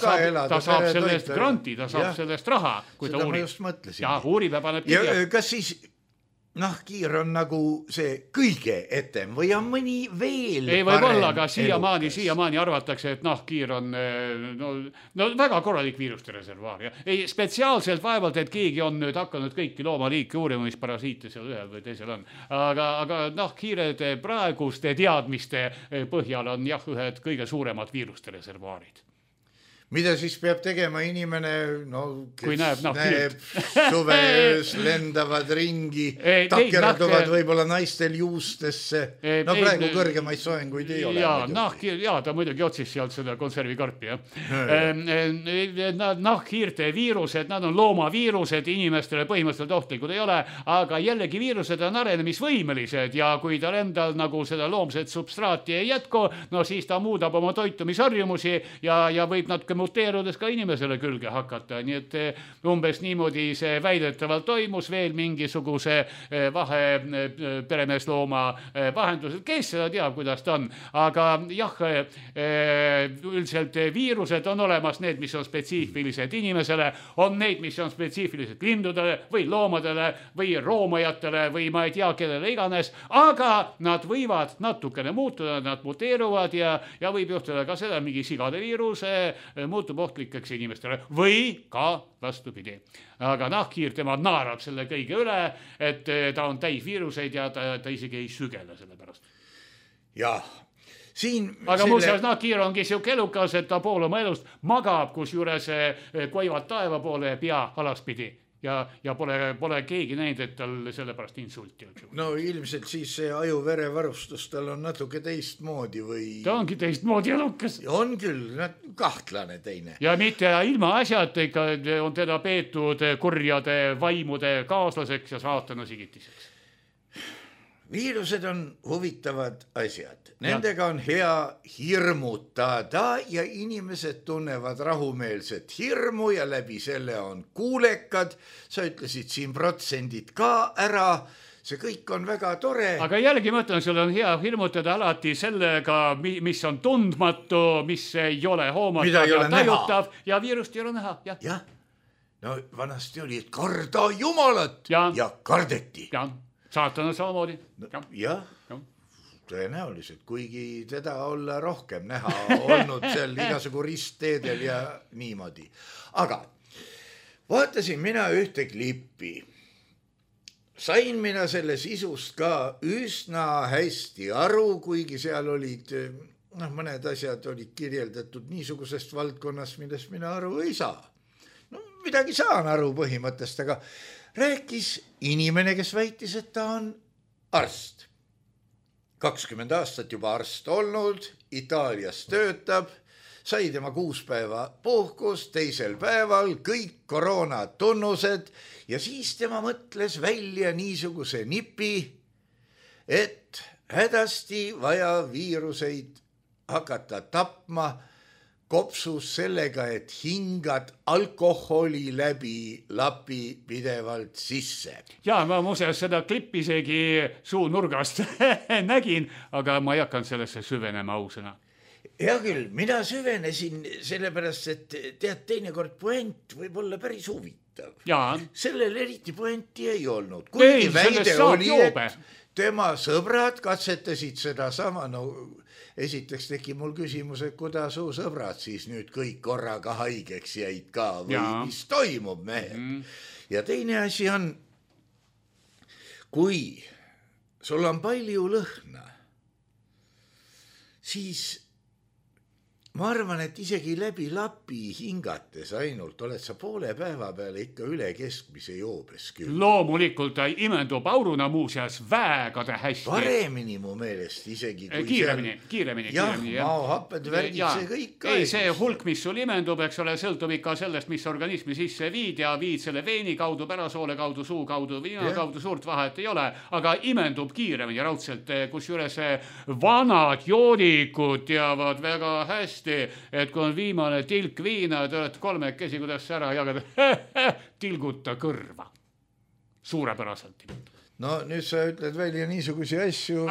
S4: saab sellest granti, ta saab sellest raha, kui ta uurib.
S3: Seda ma just mõtlesin.
S4: Ja uurib ja paneb kirja.
S3: Kas siis nahkhiir on nagu see kõige etem või on mõni veel
S4: ei võib olla, aga siiamaani arvatakse, et nahkhiir on no väga korralik viiruste reservuaar. Ei spetsiaalselt vaevalt, et keegi on nüüd hakanud kõiki loomaliike uurima, mis parasiite seal ühel või teisel on. Aga nahkhiired praeguste teadmiste põhjal on jah ühed kõige suuremad viiruste reservuaarid.
S3: Mida siis peab tegema inimene,
S4: kui näeb
S3: suveöös lendavad ringi, takerduvad võib-olla naistel juustesse. Praegu kõrgemaid soenguid ei ole.
S4: Ta muidugi otsis sealt seda konservikarpi. Nahkhiirte viirused, nad on loomaviirused, inimestele põhimõtteliselt ohtlikud ei ole, aga jällegi viirused on arenemisvõimelised ja kui tal endal nagu seda loomset substraati ei jätku, siis ta muudab oma toitumisharjumusi ja võib natuke muteerudes ka inimesele külge hakata, nii et umbes niimoodi see väidetavalt toimus veel mingisuguse vahe peremeeslooma vahendusel, kes seda teab, kuidas ta on, aga jah, üldiselt viirused on olemas, need, mis on spetsiifilised inimesele, on neid, mis on spetsiifilised lindudele või loomadele või roomajatele või ma ei tea, kellele iganes, aga nad võivad natukene muutuda, nad muteeruvad ja võib juhtuda ka seda, mingi sigade viirus muutub ohtlikeks inimestele või ka vastupidi. Aga nahkhiir, tema naerab selle kõige üle, et ta on täis viiruseid ja ta isegi ei sügele selle pärast.
S3: Jah.
S4: Aga muuseas nahkhiir ongi siuke elukas, et ta pool oma elust magab, kus juures koivad taeva poole pea alaspidi ja pole keegi näinud, et tal sellepärast insulti.
S3: No ilmselt siis see aju-verevarustus tal on natuke teistmoodi või...
S4: Ta ongi teistmoodi elukas.
S3: On küll, kahtlane teine.
S4: Ja mitte ilma asjad ikka on teda peetud kurjade vaimude kaaslaseks ja saatana sigitiseks.
S3: Viirused on huvitavad asjad. Nendega on hea hirmutada ja inimesed tunnevad rahumeelset hirmu ja läbi selle on kuulekad. Sa ütlesid siin protsendid ka ära. See kõik on väga tore.
S4: Aga jällegi mõtlen, sul on hea hirmutada alati sellega, mis on tundmatu, mis ei ole hoomatav ja tajutav ja viirust ei ole näha.
S3: Jah. No vanasti oli, et karda jumalat ja kardeti.
S4: Jah. Saatana samamoodi.
S3: Jah, tõenäoliselt, kuigi teda olla rohkem näha olnud seal igasugu ristteedel ja niimoodi. Aga vaatasin mina ühte klippi. Sain mina selle sisust ka üsna hästi aru, kuigi seal olid, mõned asjad olid kirjeldatud niisugusest valdkonnast, millest mina aru ei saa. No, midagi saan aru põhimõttest, aga rääkis inimene, kes väitis, et ta on arst. 20 aastat juba arst olnud, Itaalias töötab, sai tema 6 päeva puhkus, teisel päeval kõik koroona tunnused ja siis tema mõtles välja niisuguse nipi, et hädasti vaja viiruseid hakata tapma kopsus sellega, et hingad alkoholi läbi lapi pidevalt sisse.
S4: Ja ma muuseas seda klippi isegi suunurgast nägin, aga ma ei hakanud sellesse süvenema ausõna.
S3: Hea küll, mina süvenesin sellepärast, et tead, teinekord puent võib olla päris huvitav. Sellel eriti puenti ei olnud. Kuigi väide oli, et tema sõbrad katsetasid seda sama, esiteks tegi mul küsimus, et kuidas su sõbrad siis nüüd kõik korraga haigeks jäid ka või mis toimub mehed. Ja teine asi on, kui sul on palju lõhna, siis ma arvan, et isegi läbi lapi hingates ainult oled sa poole päeva peale ikka üle keskmise joobes küll.
S4: Loomulikult ta imendub auruna muuseas väegade hästi.
S3: Paremini mu meelest isegi.
S4: Kiiremini.
S3: Jah, maohapped, värgid, see kõik.
S4: Ei, see hulk, mis sul imendub, eks ole, sõltub ikka sellest, mis organismi sisse viid ja viid selle veeni kaudu, pärasoole kaudu, suu kaudu, viina kaudu, suurt vahet ei ole, aga imendub kiiremini raudselt, kus juures vanad joodikud teavad väga hästi, et kui on viimane tilk viina, te olete 3 käsi, kuidas ära jagada, tilguta kõrva. Suurepäraselt.
S3: No nüüd sa ütled välja niisugusi asju.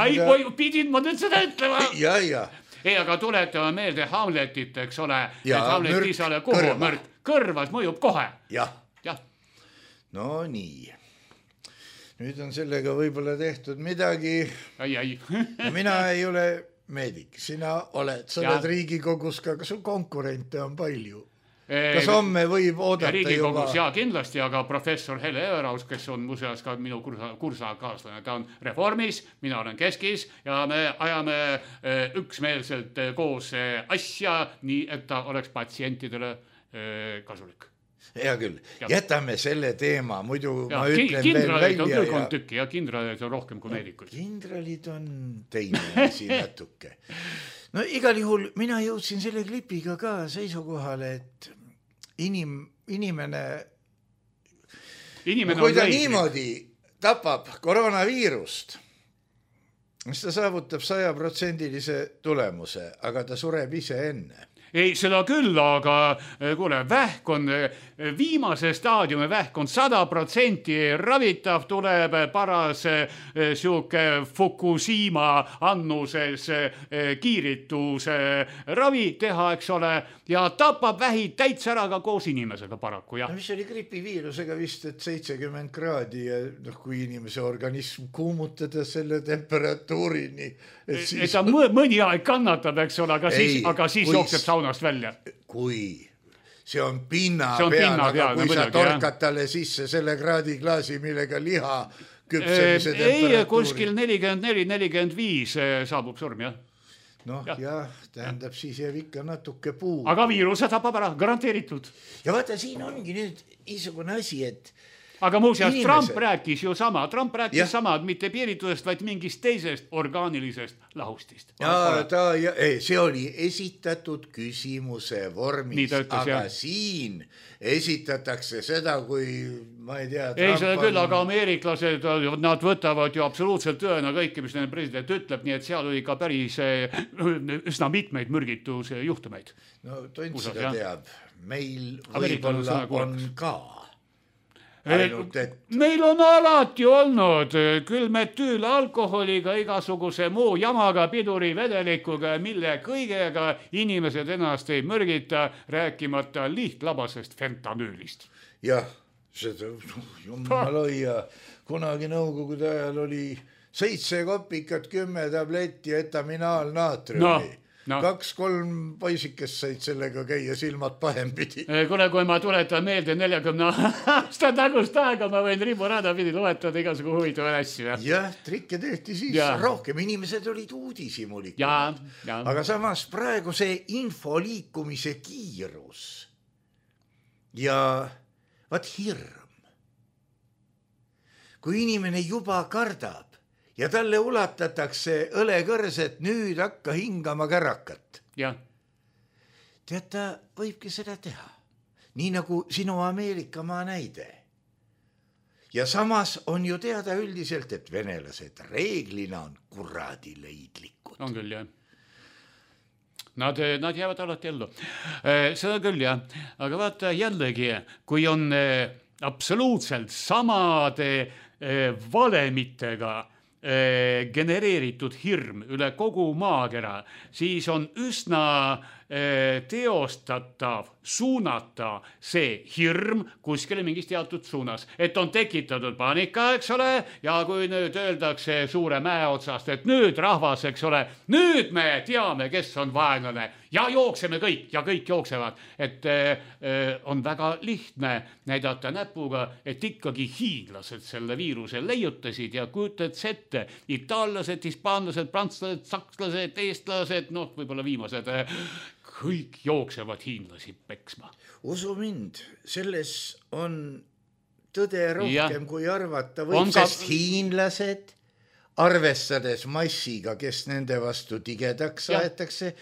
S4: Pidin ma nüüd seda ütlema.
S3: Ja.
S4: Ei, aga tuletame meelde Hamletit, eks ole. Hamlet isale kuhu mürk. Kõrvas mõjub kohe.
S3: Jah. No nii. Nüüd on sellega võib-olla tehtud midagi. Mina ei ole meedik, sina oled, sa oled Riigikogus ka, kas sul konkurente on palju? Kas homme võib oodata
S4: Riigikogus juba? Kindlasti, aga professor Hele Everaus, kes on muuseas ka minu kursakaaslane, ta on Reformis, mina olen Keskis ja me ajame üksmeelselt koos asja, nii et ta oleks patsientidele kasulik.
S3: Hea küll, jätame selle teema, muidu ma ütlen
S4: veel välja. Kindralid on küll kolm tükki ja kindralid on rohkem kui meedikud.
S3: Kindralid on teine asi natuke. No igal juhul mina jõudsin selle klipiga ka seisukohale, et inimene kui ta niimoodi tapab koroonaviirust, siis ta saavutab 100% tulemuse, aga ta sureb ise enne.
S4: ei, seda küll, aga kuule, vähk on viimase staadiumi vähk on 100% ravitav, tuleb paras siuke Fukushima annuses kiirituse ravi teha, eks ole, ja tapab vähid täitsa ära ka koos inimesega paraku, jah.
S3: Mis oli gripiviirusega vist, et 70 kraadi ja kui inimese organism kuumutada selle temperatuurini,
S4: et ta mõni aeg kannatab, eks ole, aga siis jookseb saunast välja.
S3: Kui see on pinna peal, aga kui sa torkad talle sisse selle kraadiklaasi, millega liha küpsemise temperatuuri.
S4: Ei, kuskil 44-45 saabub surm, jah.
S3: Noh, jah, tähendab, siis jääb ikka natuke puu.
S4: Aga viiruse tapab ära, garanteeritud.
S3: Ja vaata, siin ongi nüüd niisugune asi, et
S4: aga muuseas, Trump rääkis ju sama, mitte piiritusest, vaid mingist teisest orgaanilisest lahustist.
S3: See oli esitatud küsimuse vormis, aga siin esitatakse seda, kui ma ei tea.
S4: Ei, seda küll, aga ameeriklased, nad võtavad ju absoluutselt tõena kõike, mis neil president ütleb, nii et seal oli ka päris üsna mitmeid mürgituse juhtumeid.
S3: No tont seda teab, meil võib-olla on ka.
S4: Meil on alati olnud küll metüülalkoholiga, igasuguse muu jamaga, piduri vedelikuga, mille kõigega inimesed ennast ei mürgita, rääkimata lihtlabasest fentanüülist.
S3: Jah, seda jumal hoia, kunagi nõukogude ajal oli 7 kopikat, 10 tabletti etaminaalnaatriumi. 2-3 poisikest said sellega käia silmad pahempidi.
S4: Kuna kui ma tuletan meelde 40 aasta tagust aega, ma võin riburada pidi loetada igasugu huvitavad asju.
S3: Jah, trikke tehti siis rohkem. Inimesed olid uudishimulikud. Aga samas praegu see info liikumise kiirus ja vaat hirm. Kui inimene juba kardab, ja talle ulatatakse õlekõrset, nüüd hakka hingama kärakat.
S4: Ja.
S3: Tead, ta võibki seda teha. Nii nagu sinu Ameerikamaa näide. Ja samas on ju teada üldiselt, et venelased reeglina on kuradileidlikud.
S4: On küll, jah. Nad jäävad alati ellu. Seda küll, jah. Aga vaata jällegi, kui on absoluutselt samade valemitega genereeritud hirm üle kogu maakera, siis on üsna teostatav suunata see hirm kuskile mingis teatud suunas, et on tekitatud paanika, eks ole, ja kui nüüd öeldakse suure mäe otsast, et nüüd rahvas, eks ole, nüüd me teame, kes on vaenlane ja jookseme kõik ja kõik jooksevad, et on väga lihtne näidata näpuga, et ikkagi hiinlased selle viiruse leiutasid ja kujutad ette, itaallased, hispaanlased, prantslased, sakslased, eestlased, noh, võib-olla viimased, kõik jooksevad hiinlasi peksma.
S3: Usu mind, selles on tõde rohkem kui arvata võib, sest hiinlased, arvestades massiga, kes nende vastu tigedaks aetakse,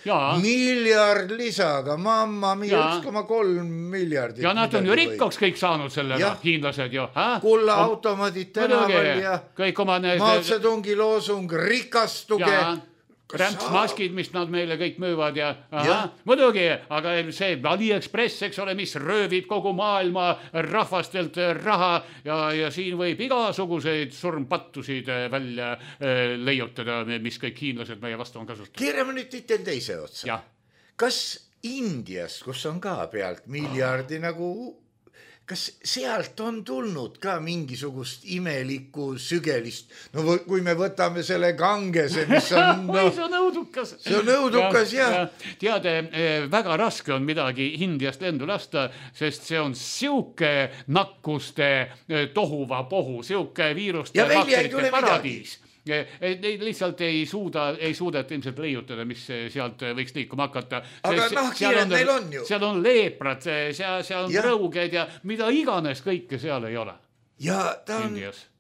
S3: miljard lisaga, mamma mia, 1,3 miljardit.
S4: Ja nad on ju rikkaks kõik saanud sellega, hiinlased ju.
S3: Kulla automaadid tänaval ja Mao Zedongi loosung rikastuge.
S4: Rämpsmaskid, mis nad meile kõik müüvad ja muidugi, aga see AliExpress, eks ole, mis röövib kogu maailma rahvastelt raha ja siin võib igasuguseid surmpattusid välja leiutada, mis kõik hiinlased meie vastu on kasutanud.
S3: Keerame nüüd titel teise otsa. Kas Indias, kus on ka pealt miljardi nagu, kas sealt on tulnud ka mingisugust imelikku sügelist? No kui me võtame selle Gangese, mis on...
S4: see on õudukas.
S3: See on õudukas, jah.
S4: Teade, väga raske on midagi Indiast lendu lasta, sest see on siuke nakkuste tohuva pohu, siuke viiruste bakterite paradiis. Lihtsalt ei suudet ilmselt leiutada, mis sealt võiks liikuma hakata.
S3: Aga nahkhiired neil on ju.
S4: Seal on leeprad, seal on rõuged ja mida iganes kõike seal ei ole.
S3: Ja ta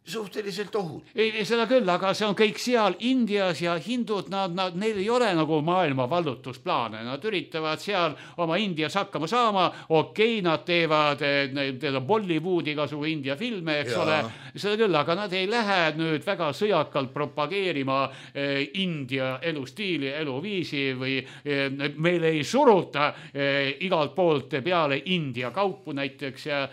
S3: suhteliselt ohut.
S4: Seda küll, aga see on kõik seal Indias ja hindud, neil ei ole nagu maailma vallutusplaane, nad üritavad seal oma Indias hakkama saama, nad teevad Bollywoodi igasugu India filme, eks ole, seda küll, aga nad ei lähe nüüd väga sõjakalt propageerima India elustiili, eluviisi või meil ei suruta igalt poolt peale India kaupu näiteks ja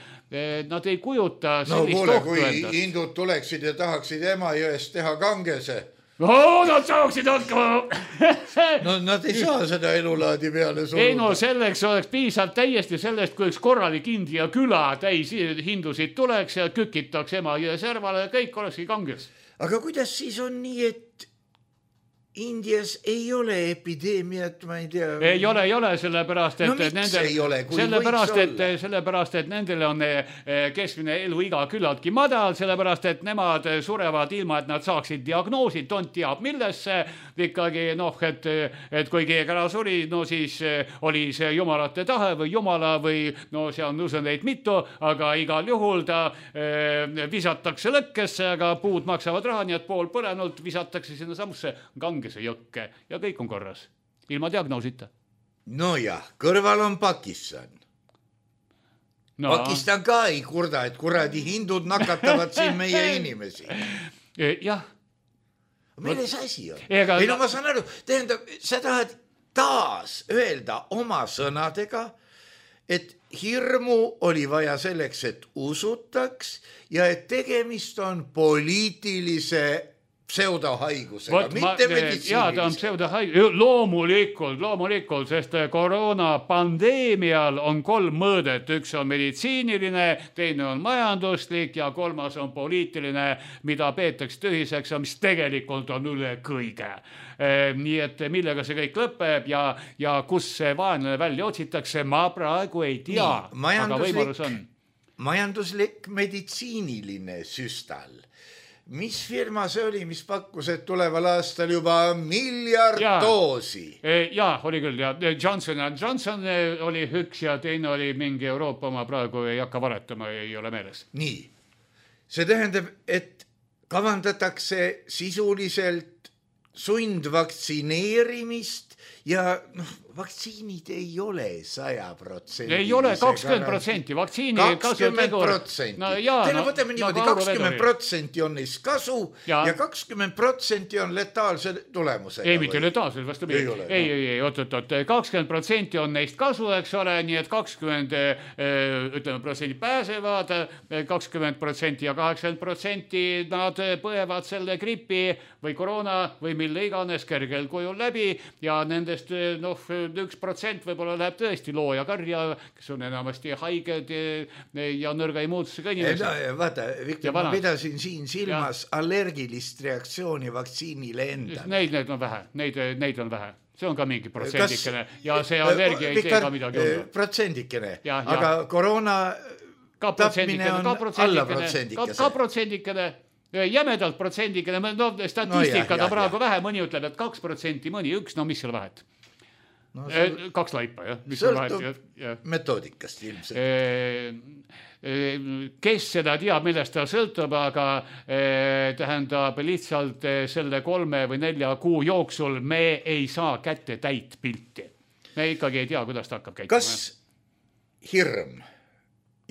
S4: nad ei kujuta sellist ohtu endast.
S3: Kui hindud tuleksid ja tahaksid Emajõest teha Gangese.
S4: Nad saaksid hakkama.
S3: No nad ei saa seda elulaadi peale suruda.
S4: Ei no selleks oleks piisavalt täiesti sellest, kui üks korralik India küla täis hindusid tuleks ja kükitaks Emajõe servale ja kõik olekski Ganges.
S3: Aga kuidas siis on nii, et Indias ei ole epideemiat, ma ei tea.
S4: Ei ole, sellepärast, et
S3: no miks ei ole, kui võiks olla?
S4: Sellepärast, et nendel on keskmine eluiga küllaltki madal, sellepärast, et nemad surevad ilma, et nad saaksid diagnoosid, tont teab millesse, ikkagi et kui keegi ära suri, no siis oli see jumalate tahe või jumala või see on usundeid mitu, aga igal juhul ta visatakse lõkkesse, aga puud maksavad raha, nii et pool põlenult visatakse sinna samusse Gangese jõkke ja kõik on korras, ilma diagnoosita.
S3: No jah, kõrval on Pakistan. Pakistan ka ei kurda, et kuradi hindud nakatavad siin meie inimesi.
S4: Jah.
S3: Milles asi on? Ei no ma saan aru, tähendab, sa tahad taas öelda oma sõnadega, et hirmu oli vaja selleks, et usutaks ja et tegemist on poliitilise pseudohaigusega, mitte meditsiinilise.
S4: Jaa, ta on pseudohaigus. Loomulikult, sest koroonapandeemial on 3 mõõdet. Üks on meditsiiniline, teine on majanduslik ja 3. on poliitiline, mida peetakse tühiseks ja mis tegelikult on üle kõige. Nii et millega see kõik lõpeb ja kus see vaenlane välja otsitakse, ma praegu ei tea, aga võimalus on.
S3: Majanduslik meditsiiniline süstal. Mis firma see oli, mis pakkus, et tuleval aastal juba 1 miljard doosi?
S4: Jaa, oli küll. Ja Johnson oli üks ja teine oli mingi Euroopa oma, praegu ei hakka varetama, ei ole meeles.
S3: Nii. See tähendab, et kavandatakse sisuliselt sundvaktsineerimist ja vaktsiinid ei ole 100%.
S4: Ei ole 20%, vaktsiini
S3: 20%. Teile võtame niimoodi, 20% on neist kasu ja 20% on letaalse tulemusega.
S4: Ei, mitte letaalse, vastu mida. Ei, oot, 20% on neist kasu, eks ole, nii et 20% pääsevad, 20% ja 80% nad põevad selle gripi või koroona või mille iganes kergel kujul läbi ja nendest 1% võib-olla läheb tõesti looja karja, kes on enamasti haiged ja nõrga immuunsusega inimesed.
S3: Vaata, Viktor, ma pidasin siin silmas allergilist reaktsiooni vaktsiinile endale.
S4: Neid on vähe, neid on vähe. See on ka mingi protsendikene ja see allergia ei tee ka midagi olla.
S3: Protsendikene, aga koroona tapmine on alla protsendikese.
S4: Ka protsendikene. Jämedalt protsendikene, statistika ta praegu vähe, mõni ütleb, et 2%, mõni 1, mis seal vahet? 2 laipa, jah.
S3: Sõltub metoodikast ilmselt.
S4: Kes seda teab, millest ta sõltub, aga tähendab lihtsalt selle 3 või 4 kuu jooksul me ei saa kätte täit pilti. Me ikkagi ei tea, kuidas ta hakkab käituma.
S3: Kas hirm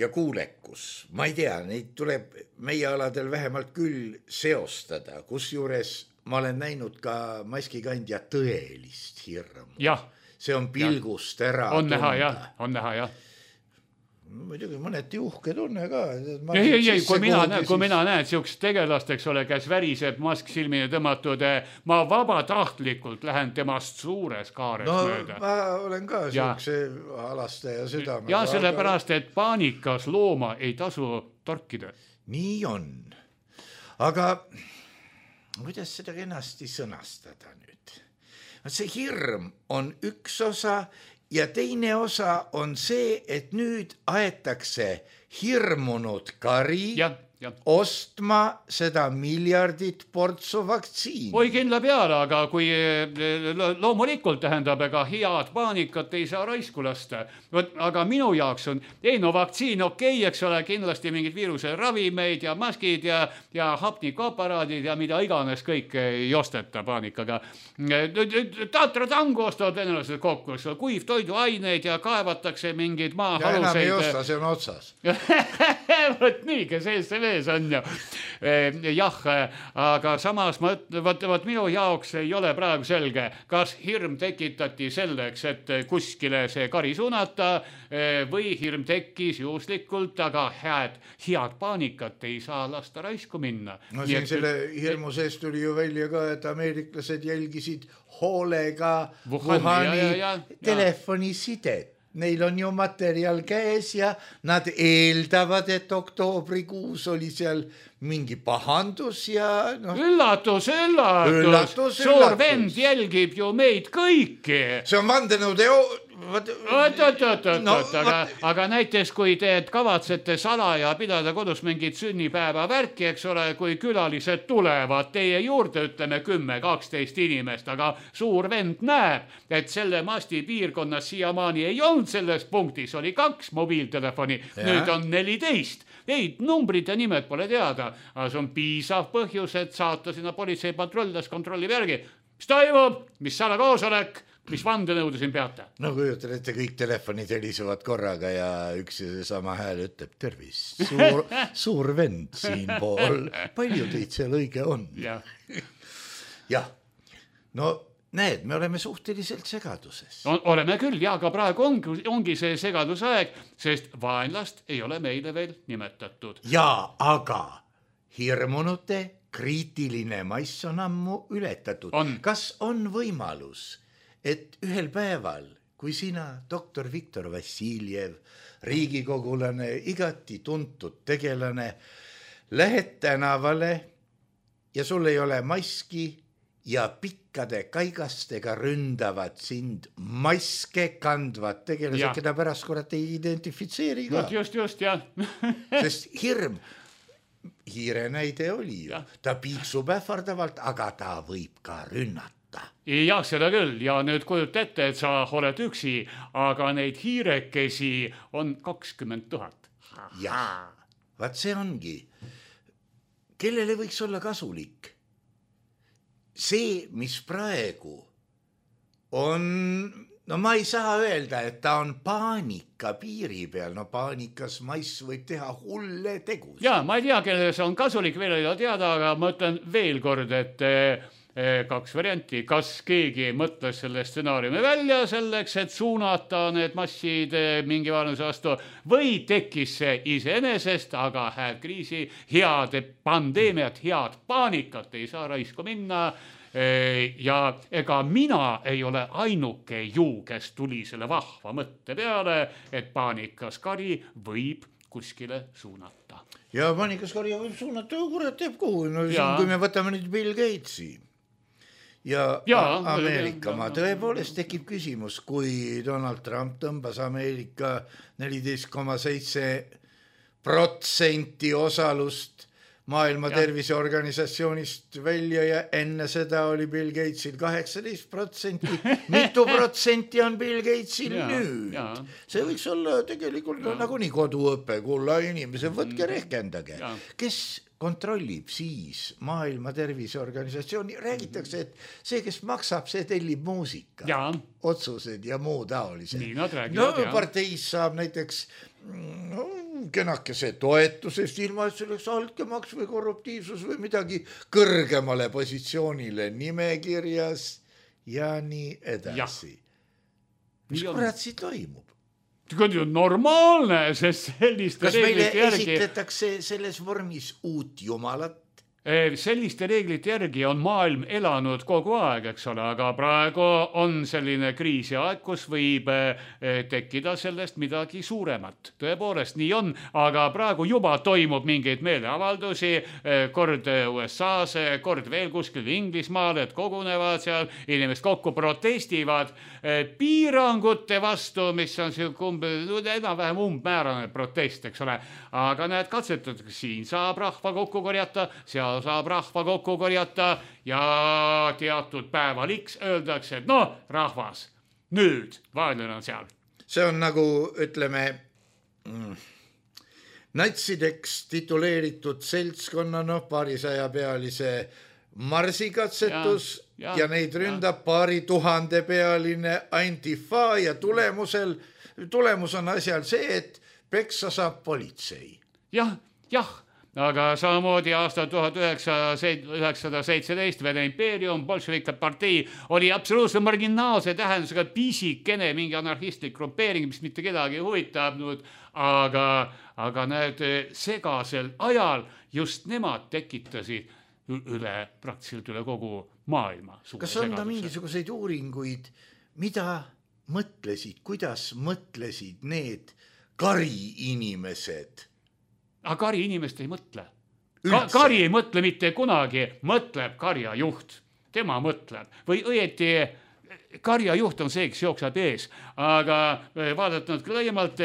S3: ja kuulekus, ma ei tea, neid tuleb meie aladel vähemalt küll seostada, kus juures ma olen näinud ka maskikandja tõelist hirmu.
S4: Jah.
S3: See on pilgust ära
S4: on tunda. On näha, jah.
S3: Muidugi mõneti uhke tunne ka.
S4: Ei, kui mina näen siukest tegelast, eks ole, kes väriseb mask silmine tõmmatud, ma vabatahtlikult lähen temast suures kaares mööda.
S3: Ma olen ka siukse alastaja südamega.
S4: Ja sellepärast, et paanikas looma ei tasu torkida.
S3: Nii on. Aga kuidas seda kenasti sõnastada nüüd? See hirm on üks osa ja teine osa on see, et nüüd aetakse hirmunud kari ostma seda miljardit portsu vaktsiini.
S4: oi kindla peale, aga kui loomulikult tähendab, ega head paanikat ei saa raisku lasta. Aga minu jaoks on, vaktsiin okei, eks ole, kindlasti mingid viiruse ravimeid ja maskid ja hapnikuaparaadid ja mida iganes kõik ei osteta paanikaga. Tatratangu ostavad venelased kokku, kuivtoiduaineid ja kaevatakse mingid maahaluseid.
S3: Ja enam ei osta, see on otsas.
S4: Võt nii, kes ees see mees on ju. Jah, aga samas võt minu jaoks ei ole praegu selge, kas hirm tekitati selleks, et kuskile see kari suunata või hirm tekkis juhuslikult, aga head paanikat ei saa lasta raisku minna.
S3: No siin selle hirmu seest tuli ju välja ka, et ameeriklased jälgisid hoolega Wuhani telefonisidet. Neil on ju materjal käes ja nad eeldavad, et oktoobrikuus oli seal mingi pahandus ja
S4: Üllatus. Suur vend jälgib ju meid kõiki.
S3: See on vandenõude
S4: aga näiteks kui te kavatsete salaja pidada kodus mingit sünnipäeva värki, eks ole, kui külalised tulevad teie juurde, ütleme 10-12 inimest, aga suur vend näeb, et selle masti piirkonnas siiamaani ei olnud selles punktis, oli 2 mobiiltelefoni, nüüd on 14. Ei, numbrid ja nimed pole teada, aga see on piisav põhjus, et saata sinna politseipatrull, kontrollib järgi. Mis toimub? Mis salakoosolek? Mis vandenõude siin peate?
S3: No kujutan ette, kõik telefonid helisevad korraga ja üks ja sama hääl ütleb tervist. Suur vend siin pool. Palju teid seal õige on? Jah. No näed, me oleme suhteliselt segaduses.
S4: Oleme küll, ja aga praegu ongi see segadusaeg, sest vaenlast ei ole meile veel nimetatud.
S3: Jaa, aga hirmunute kriitiline mass on ammu ületatud. Kas on võimalus, et ühel päeval, kui sina, doktor Viktor Vassiljev, riigikogulane, igati tuntud tegelane, lähed tänavale ja sul ei ole maski ja pikkade kaigastega ründavad sind maske kandvad tegelased, keda pärast kurat ei identifitseeri ka.
S4: Just, jah.
S3: Sest hirm, hiire näide oli ju, ta piiksub ähvardavalt, aga ta võib ka rünnata.
S4: Jah, seda küll, ja nüüd kujut ette, et sa oled üksi, aga neid hiirekesi on 20 000.
S3: Jah, vaat see ongi. Kellele võiks olla kasulik? See, mis praegu on, no ma ei saa öelda, et ta on paanika piiri peal, no paanikas mass võib teha hulle tegus.
S4: Jaa, ma ei tea, kellele see on kasulik, veel ei ole teada, aga ma ütlen veel kord, et 2 varianti, kas keegi mõtles selle stsenaariumi välja selleks, et suunata need massid mingi vaenlase vastu või tekkis see iseenesest, aga head kriisi, head pandeemiat, head paanikat ei saa raisku minna ja ega mina ei ole ainuke ju, kes tuli selle vahva mõtte peale, et paanikas kari võib kuskile suunata.
S3: Ja paanikas kari võib suunata, kurat teeb kuhu, no kui me võtame nüüd Bill Gatesi ja Ameerika maa, tõepoolest tekib küsimus, kui Donald Trump tõmbas Ameerika 14,7% osalust Maailma Terviseorganisatsioonist välja ja enne seda oli Bill Gatesil 18%. Mitu protsenti on Bill Gatesil nüüd? See võiks olla tegelikult nagu nii koduõpe, kulla inimesed, võtke rehkendage. Kes kontrollib siis Maailma Terviseorganisatsiooni? Räägitakse, et see, kes maksab, see tellib muusika, otsused ja muu taolised. No parteis saab näiteks kenakese toetusest, ilma et selleks altkäemaks või korruptiivsus või midagi kõrgemale positsioonile nimekirjas ja nii edasi. Mis kurat siin toimub?
S4: See on normaalne, sest selliste
S3: kas meile esitletakse selles vormis uut jumalat?
S4: Selliste reeglite järgi on maailm elanud kogu aeg, eks ole, aga praegu on selline kriisiaeg, kus võib tekkida sellest midagi suuremat. Tõepoolest, nii on, aga praegu juba toimub mingeid meeleavaldusi, kord USA-s, kord veel kuskil Inglismaal, et kogunevad seal, inimesed kokku protestivad piirangute vastu, mis on enam-vähem umbmäärane protest, eks ole. Aga näed, katsetatakse, siin saab rahva kokku korjata, seal saab rahva kokku korjata ja teatud päeval X öeldakse, et noh, rahvas, nüüd vaenlane on seal.
S3: See on nagu, ütleme, natsideks tituleeritud seltskonna, paarisajapealise marsikatsetus ja neid ründab 2000 pealine antifa ja tulemus on asjal see, et peksa saab politsei.
S4: Jah, aga samamoodi aastal 1917 Vene impeerium, bolševike partei oli absoluutselt marginaalse tähendusega pisikene mingi anarhistlik grupeering, mis mitte kedagi huvitanud, aga näed, segasel ajal just nemad tekitasid praktiliselt üle kogu maailma.
S3: Kas on ka mingisuguseid uuringuid, mida mõtlesid, kuidas mõtlesid need kariinimesed?
S4: Aga kari inimest ei mõtle. Kari ei mõtle mitte kunagi, mõtleb karjajuht. Tema mõtleb. Või õieti karjajuht on see, kes jookseb ees. Aga vaadatud laiemalt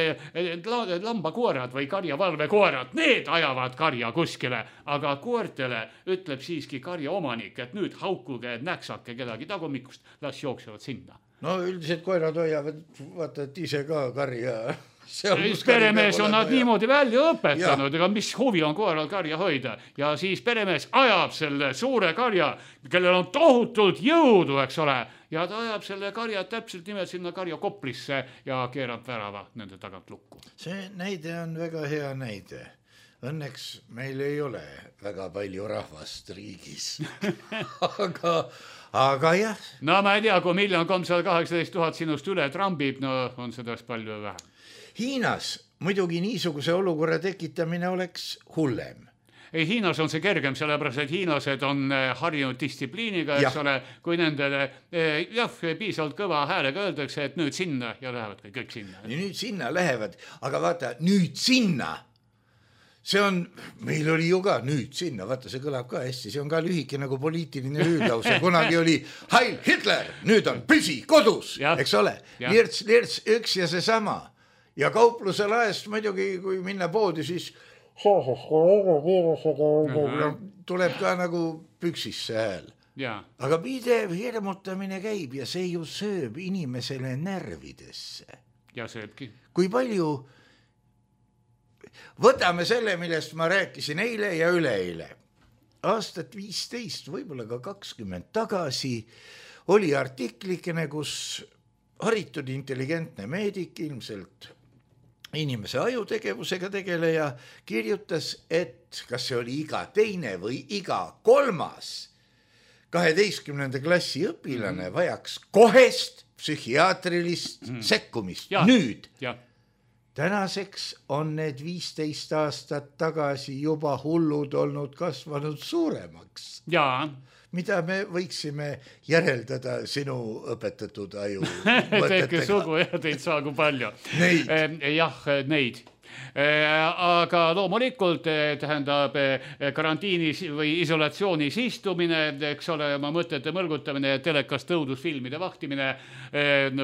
S4: lambakoerad või karjavalvekoerad, need ajavad karja kuskile. Aga koertele ütleb siiski karja omanik, et nüüd haukuge, näksake kedagi tagumikust, las jooksevad sinna.
S3: No üldiselt koerad hoiavad, vaata, et ise ka karja...
S4: Peremees on nad niimoodi välja õpetanud, ega mis huvi on koeral karja hoida. Ja siis peremees ajab selle suure karja, kellel on tohutult jõudu, eks ole. Ja ta ajab selle karja täpselt nimelt sinna karja koplisse ja keerab värava nende tagant lukku.
S3: See näide on väga hea näide. Õnneks meil ei ole väga palju rahvast riigis. aga jah.
S4: No ma ei tea, kui 1 318 000 sinust üle trambib, no on sellest palju vähem.
S3: Hiinas muidugi niisuguse olukorra tekitamine oleks hullem.
S4: Hiinas on see kergem, sellepärast, et hiinlased on harjunud distsipliiniga, eks ole, kui nendele piisavalt kõva häälega öeldakse, et nüüd sinna ja lähevad kõik sinna.
S3: Nüüd sinna lähevad, aga vaata, nüüd sinna. See on, meil oli ju ka nüüd sinna, vaata, see kõlab ka hästi, see on ka lühike nagu poliitiline hüüdlause, kunagi oli Heil Hitler, nüüd on püsi kodus, eks ole, lirts, üks ja seesama. Ja kaupluse laest muidugi, kui minna poodi, siis tuleb ka nagu püksisse hääl. Aga pidev hirmutamine käib ja see ju sööb inimesele närvidesse.
S4: Ja sööbki.
S3: Kui palju, võtame selle, millest ma rääkisin eile ja üleeile. Aastat 15, võib-olla ka 20 tagasi oli artiklikene, kus haritud intelligentne meedik, ilmselt inimese ajutegevusega tegeleja, kirjutas, et kas see oli iga teine või iga 3. 12. klassi õpilane vajaks kohest psühhiaatrilist sekkumist. Nüüd. Tänaseks on need 15 aastat tagasi juba hullud olnud kasvanud suuremaks. Mida me võiksime järeldada sinu õpetatud aju mõtetega?
S4: Tehke sugu ja teid saagu palju.
S3: Neid.
S4: Neid. Aga loomulikult tähendab karantiinis või isolatsioonis istumine, eks ole, oma mõtete mõlgutamine, telekas tõudusfilmide vahtimine,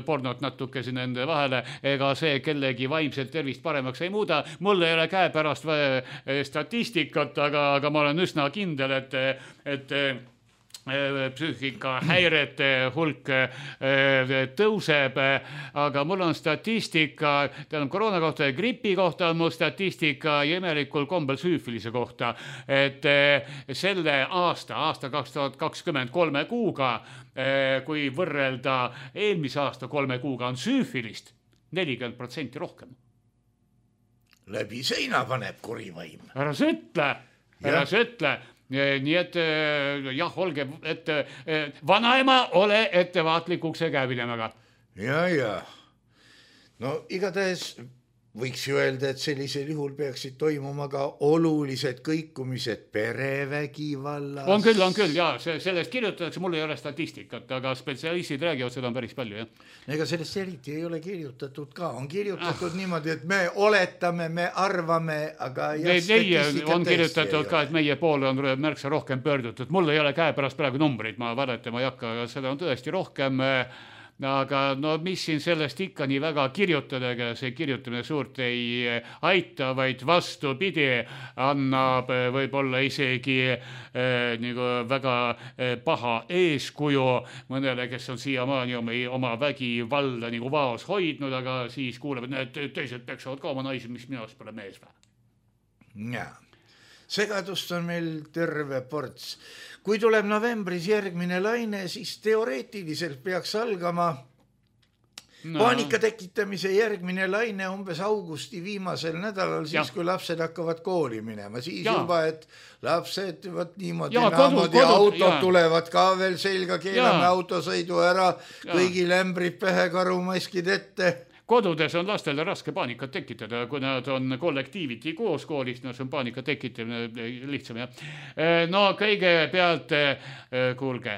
S4: pornot natuke siin nende vahele, ega see kellegi vaimselt tervist paremaks ei muuda. Mul ei ole käepärast statistikat, aga ma olen üsna kindel, et psüühikahäirete hulk tõuseb, aga mul on statistika, koroona kohta ja gripi kohta on mul statistika ja imelikul kombel süüfilise kohta, et selle aasta 2023 kuuga, kui võrrelda eelmise aasta 3 kuuga, on süüfilist 40% rohkem.
S3: Läbi seina paneb kurivaim.
S4: Ära sa ütle. Nii et jah, olge, et vanaema ole ettevaatlikuks ja käeminemaga.
S3: Ja. No igatahes võiks ju öelda, et sellisel juhul peaksid toimuma ka olulised kõikumised perevägivallas.
S4: On küll, jaa, sellest kirjutatakse, mul ei ole statistikat, aga spetsialistid räägivad, seda on päris palju, jah.
S3: Ega sellest eriti ei ole kirjutatud ka, on kirjutatud niimoodi, et me oletame, me arvame, aga
S4: on kirjutatud ka, et meie poole on märksa rohkem pöördutud. Mul ei ole käepärast praegu numbrid, ma valetama ei hakka, aga seda on tõesti rohkem. Aga no mis siin sellest ikka nii väga kirjutadega, see kirjutamine suurt ei aita, vaid vastupidi annab võib-olla isegi nagu väga paha eeskuju mõnele, kes on siiamaani oma vägivalda nagu vaos hoidnud, aga siis kuuleb, et need teised peksavad ka oma naisi, mis minust pole mees või.
S3: Jaa. Segadust on meil terve ports. Kui tuleb novembris järgmine laine, siis teoreetiliselt peaks algama paanika tekitamise järgmine laine umbes augusti viimasel nädalal, siis kui lapsed hakkavad kooli minema. Siis juba, et lapsed niimoodi autod tulevad ka veel selga, keelame autosõidu ära, kõigi lämbrid pähe, karumaskid ette.
S4: Kodudes on lastele raske paanikat tekitada, kui nad on kollektiiviti koos koolist, no see on paanika tekitamine lihtsam, jah. No kõigepealt, kuulge,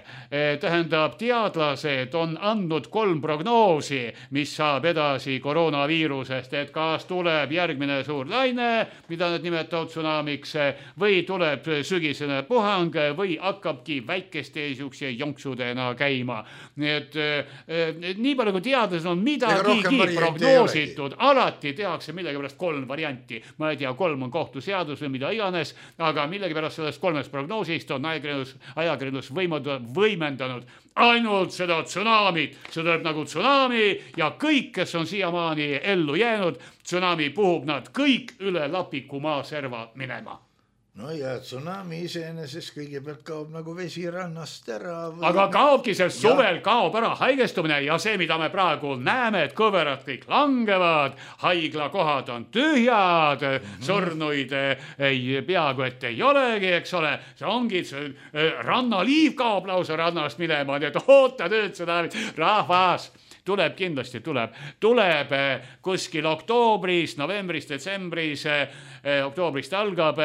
S4: tähendab, teadlased on andnud 3 prognoosi, mis saab edasi koroonaviirusest, et kas tuleb järgmine suur laine, mida nad nimetavad tsunamiks, või tuleb sügisene puhang, või hakkabki väikeste siukse jonksudena käima. Nii et nii palju kui teadlased on midagigi prognoositud, alati tehakse millegipärast 3 varianti. Ma ei tea, 3 on kohtuseadus või mida iganes, aga millegipärast sellest 3 prognoosist on ajakirjandus võimendanud ainult seda tsunamit. See tuleb nagu tsunami ja kõik, kes on siiamaani ellu jäänud, tsunami puhub nad kõik üle Lapikumaa serva minema.
S3: No ja tsunami iseenesest kõigepealt kaob nagu vesi rannast ära.
S4: Aga kaobki see suvel, kaob ära haigestumine ja see, mida me praegu näeme, et kõverad kõik langevad, haiglakohad on tühjad, surnuid peaaegu et ei olegi, eks ole. See ongi, rannaliiv kaob lausa rannast minema, nii et oota nüüd seda rahvas. Tuleb kindlasti, tuleb kuskil oktoobris, novembris, detsembris, oktoobrist algab,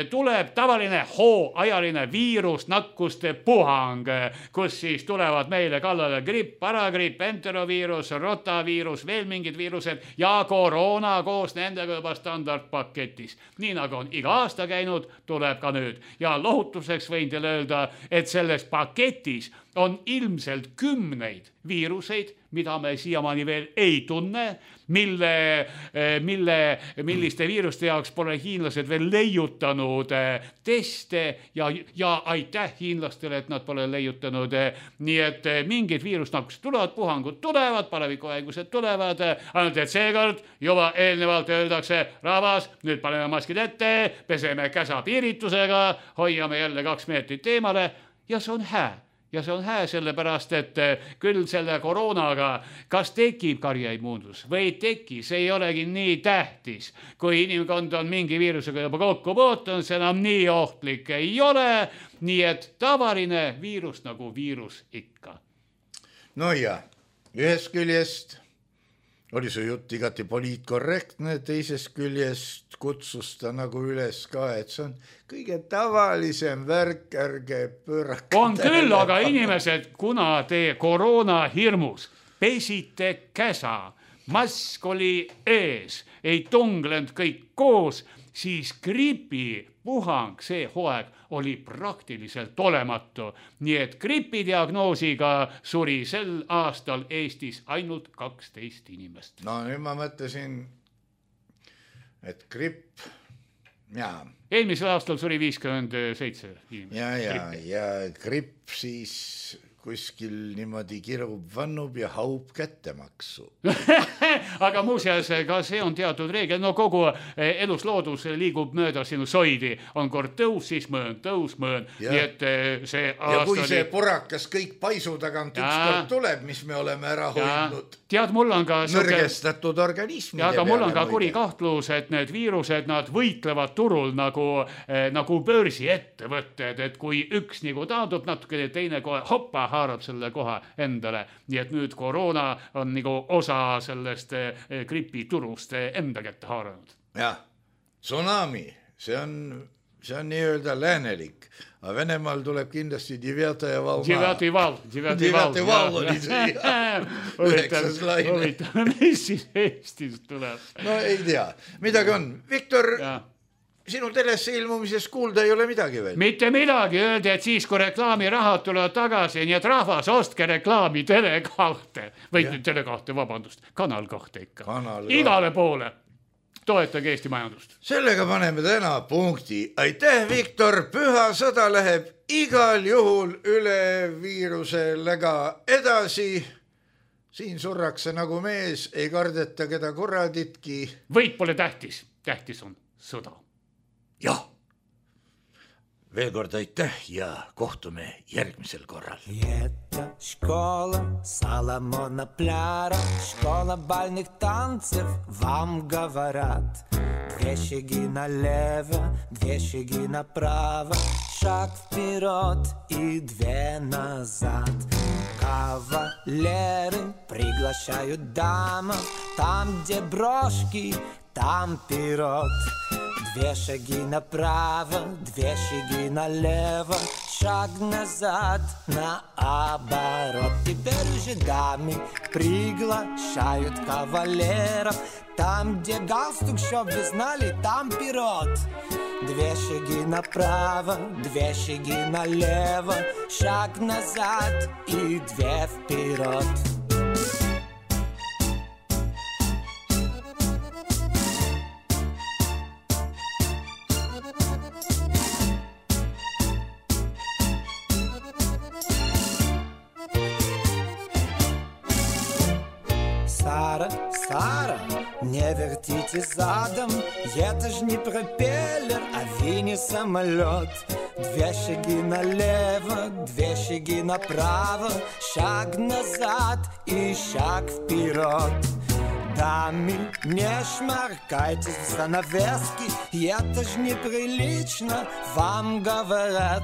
S4: tuleb tavaline hooajaline viirusnakkuste puhang, kus siis tulevad meile kallale gripp, paragripp, enteroviirus, rotaviirus, veel mingid viirused ja koroona koos nendega juba standardpaketis. Nii nagu on iga aasta käinud, tuleb ka nüüd. Ja lohutuseks võin teile öelda, et selles paketis on ilmselt 10 viiruseid, mida me siiamaani veel ei tunne, milliste viiruste jaoks pole hiinlased veel leiutanud teste ja aitäh hiinlastele, et nad pole leiutanud. Nii et mingid viirusnakkused tulevad, puhangud tulevad, palevikuhaigused tulevad, ainult et seekord juba eelnevalt öeldakse, rahvas, nüüd paneme maskid ette, peseme käsa piiritusega, hoiame jälle 2 meetrit eemale ja see on hää. Ja see on hää sellepärast, et küll selle koroonaga, kas tekib karjaimmuunsus või ei teki, see ei olegi nii tähtis. Kui inimkond on mingi viirusega juba kokku puutunud, see enam nii ohtlik ei ole, nii et tavaline viirus nagu viirus ikka.
S3: No ja, ühest küljest oli su jutt igati poliitkorrektne, teisest küljest kutsus ta nagu üles ka, et see on kõige tavalisem värk, ärge pöörake.
S4: On küll, aga inimesed, kuna te koroona hirmus pesite käsa, mask oli ees, ei tunglenud kõik koos, siis gripipuhang, see hooaeg oli praktiliselt olematu. Nii et gripidiagnoosiga suri sel aastal Eestis ainult 12 inimest.
S3: No nüüd ma mõtlesin, et gripp, jaa.
S4: Eelmisel aastal suri 57 inimest.
S3: Ja gripp siis kuskil niimoodi kirub, vannub ja haub kättemaksu.
S4: Aga muuseas, ka see on teatud reegel. No kogu elusloodus liigub mööda sinu soidi. On kord tõus, siis mõõn, tõus, mõõn. Nii et see aasta
S3: ja kui see purakas kõik paisu tagant ükskord tuleb, mis me oleme ära hoidnud.
S4: Tead, mul on ka
S3: nõrgestatud organismide
S4: peale. Aga mul on ka kuri kahtlus, et need viirused, nad võitlevad turul nagu börsiettevõtted, et kui üks nagu taandub natuke, teine kohe hoppa haarab selle koha endale. Nii et nüüd koroona on nagu osa sellest sellest gripiturust enda kätte haaranud.
S3: Jah, tsunami, see on nii-öelda läänelik, aga Venemaal tuleb kindlasti Devятая волна.
S4: Devятый вал
S3: oli see.
S4: Huvitav, mis siis Eestis tuleb?
S3: No ei tea, midagi on. Viktor, sinu telesse ilmumisest kuulda ei ole midagi veel.
S4: Mitte midagi, öeldi, et siis kui reklaamirahad tulevad tagasi, nii et rahvas, ostke reklaami Tele2 või Tele2, vabandust, Kanal 2 ikka. Igale poole. Toetage Eesti majandust.
S3: Sellega paneme täna punkti. Aitäh, Viktor. Püha sõda läheb igal juhul üle viiruselega edasi. Siin surrakse nagu mees, ei kardeta keda korraditki.
S4: Võit pole tähtis, tähtis on sõda.
S3: Jah. Veel kord aitäh ja kohtume järgmisel korral.
S5: Это школа Соломона Пляра, школа бальных танцев, вам говорят. 2 шаги налево, 2 шаги направо, шаг вперед и 2 назад. Кавалеры приглашают дамов, там, где брошки, там пирот. 2 шаги направо, 2 шаги налево, шаг назад, наоборот. Теперь уже дамы приглашают кавалеров, там, где галстук, чтоб вы знали, там пирот. 2 шаги направо, 2 шаги налево, шаг назад и 2 вперед. Сара, не вертите задом, это ж не пропеллер, а вини-самолет. 2 шаги налево, 2 шаги направо, шаг назад и шаг вперед. Дамы, не шмаркайтесь в занавески, это ж неприлично, вам говорят.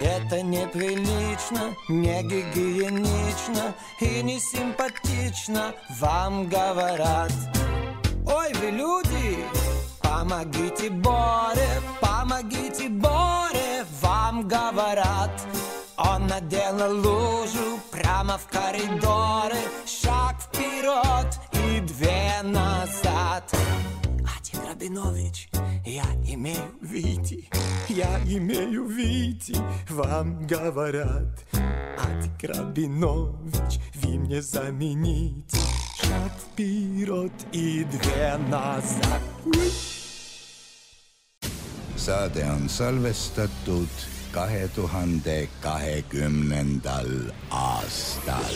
S5: Это неприлично, не гигиенично и не симпатично, вам говорят. Ой, вы люди, помогите Боре, вам говорят. Он наделал лужу прямо в коридоре, шаг вперед и 2 назад. Адик Рабинович, я имею видеть, вам говорят. Адик Рабинович, вы мне замените. Шаг вперед и 2 назад.
S3: Saade on salvestatud 2020. aastal.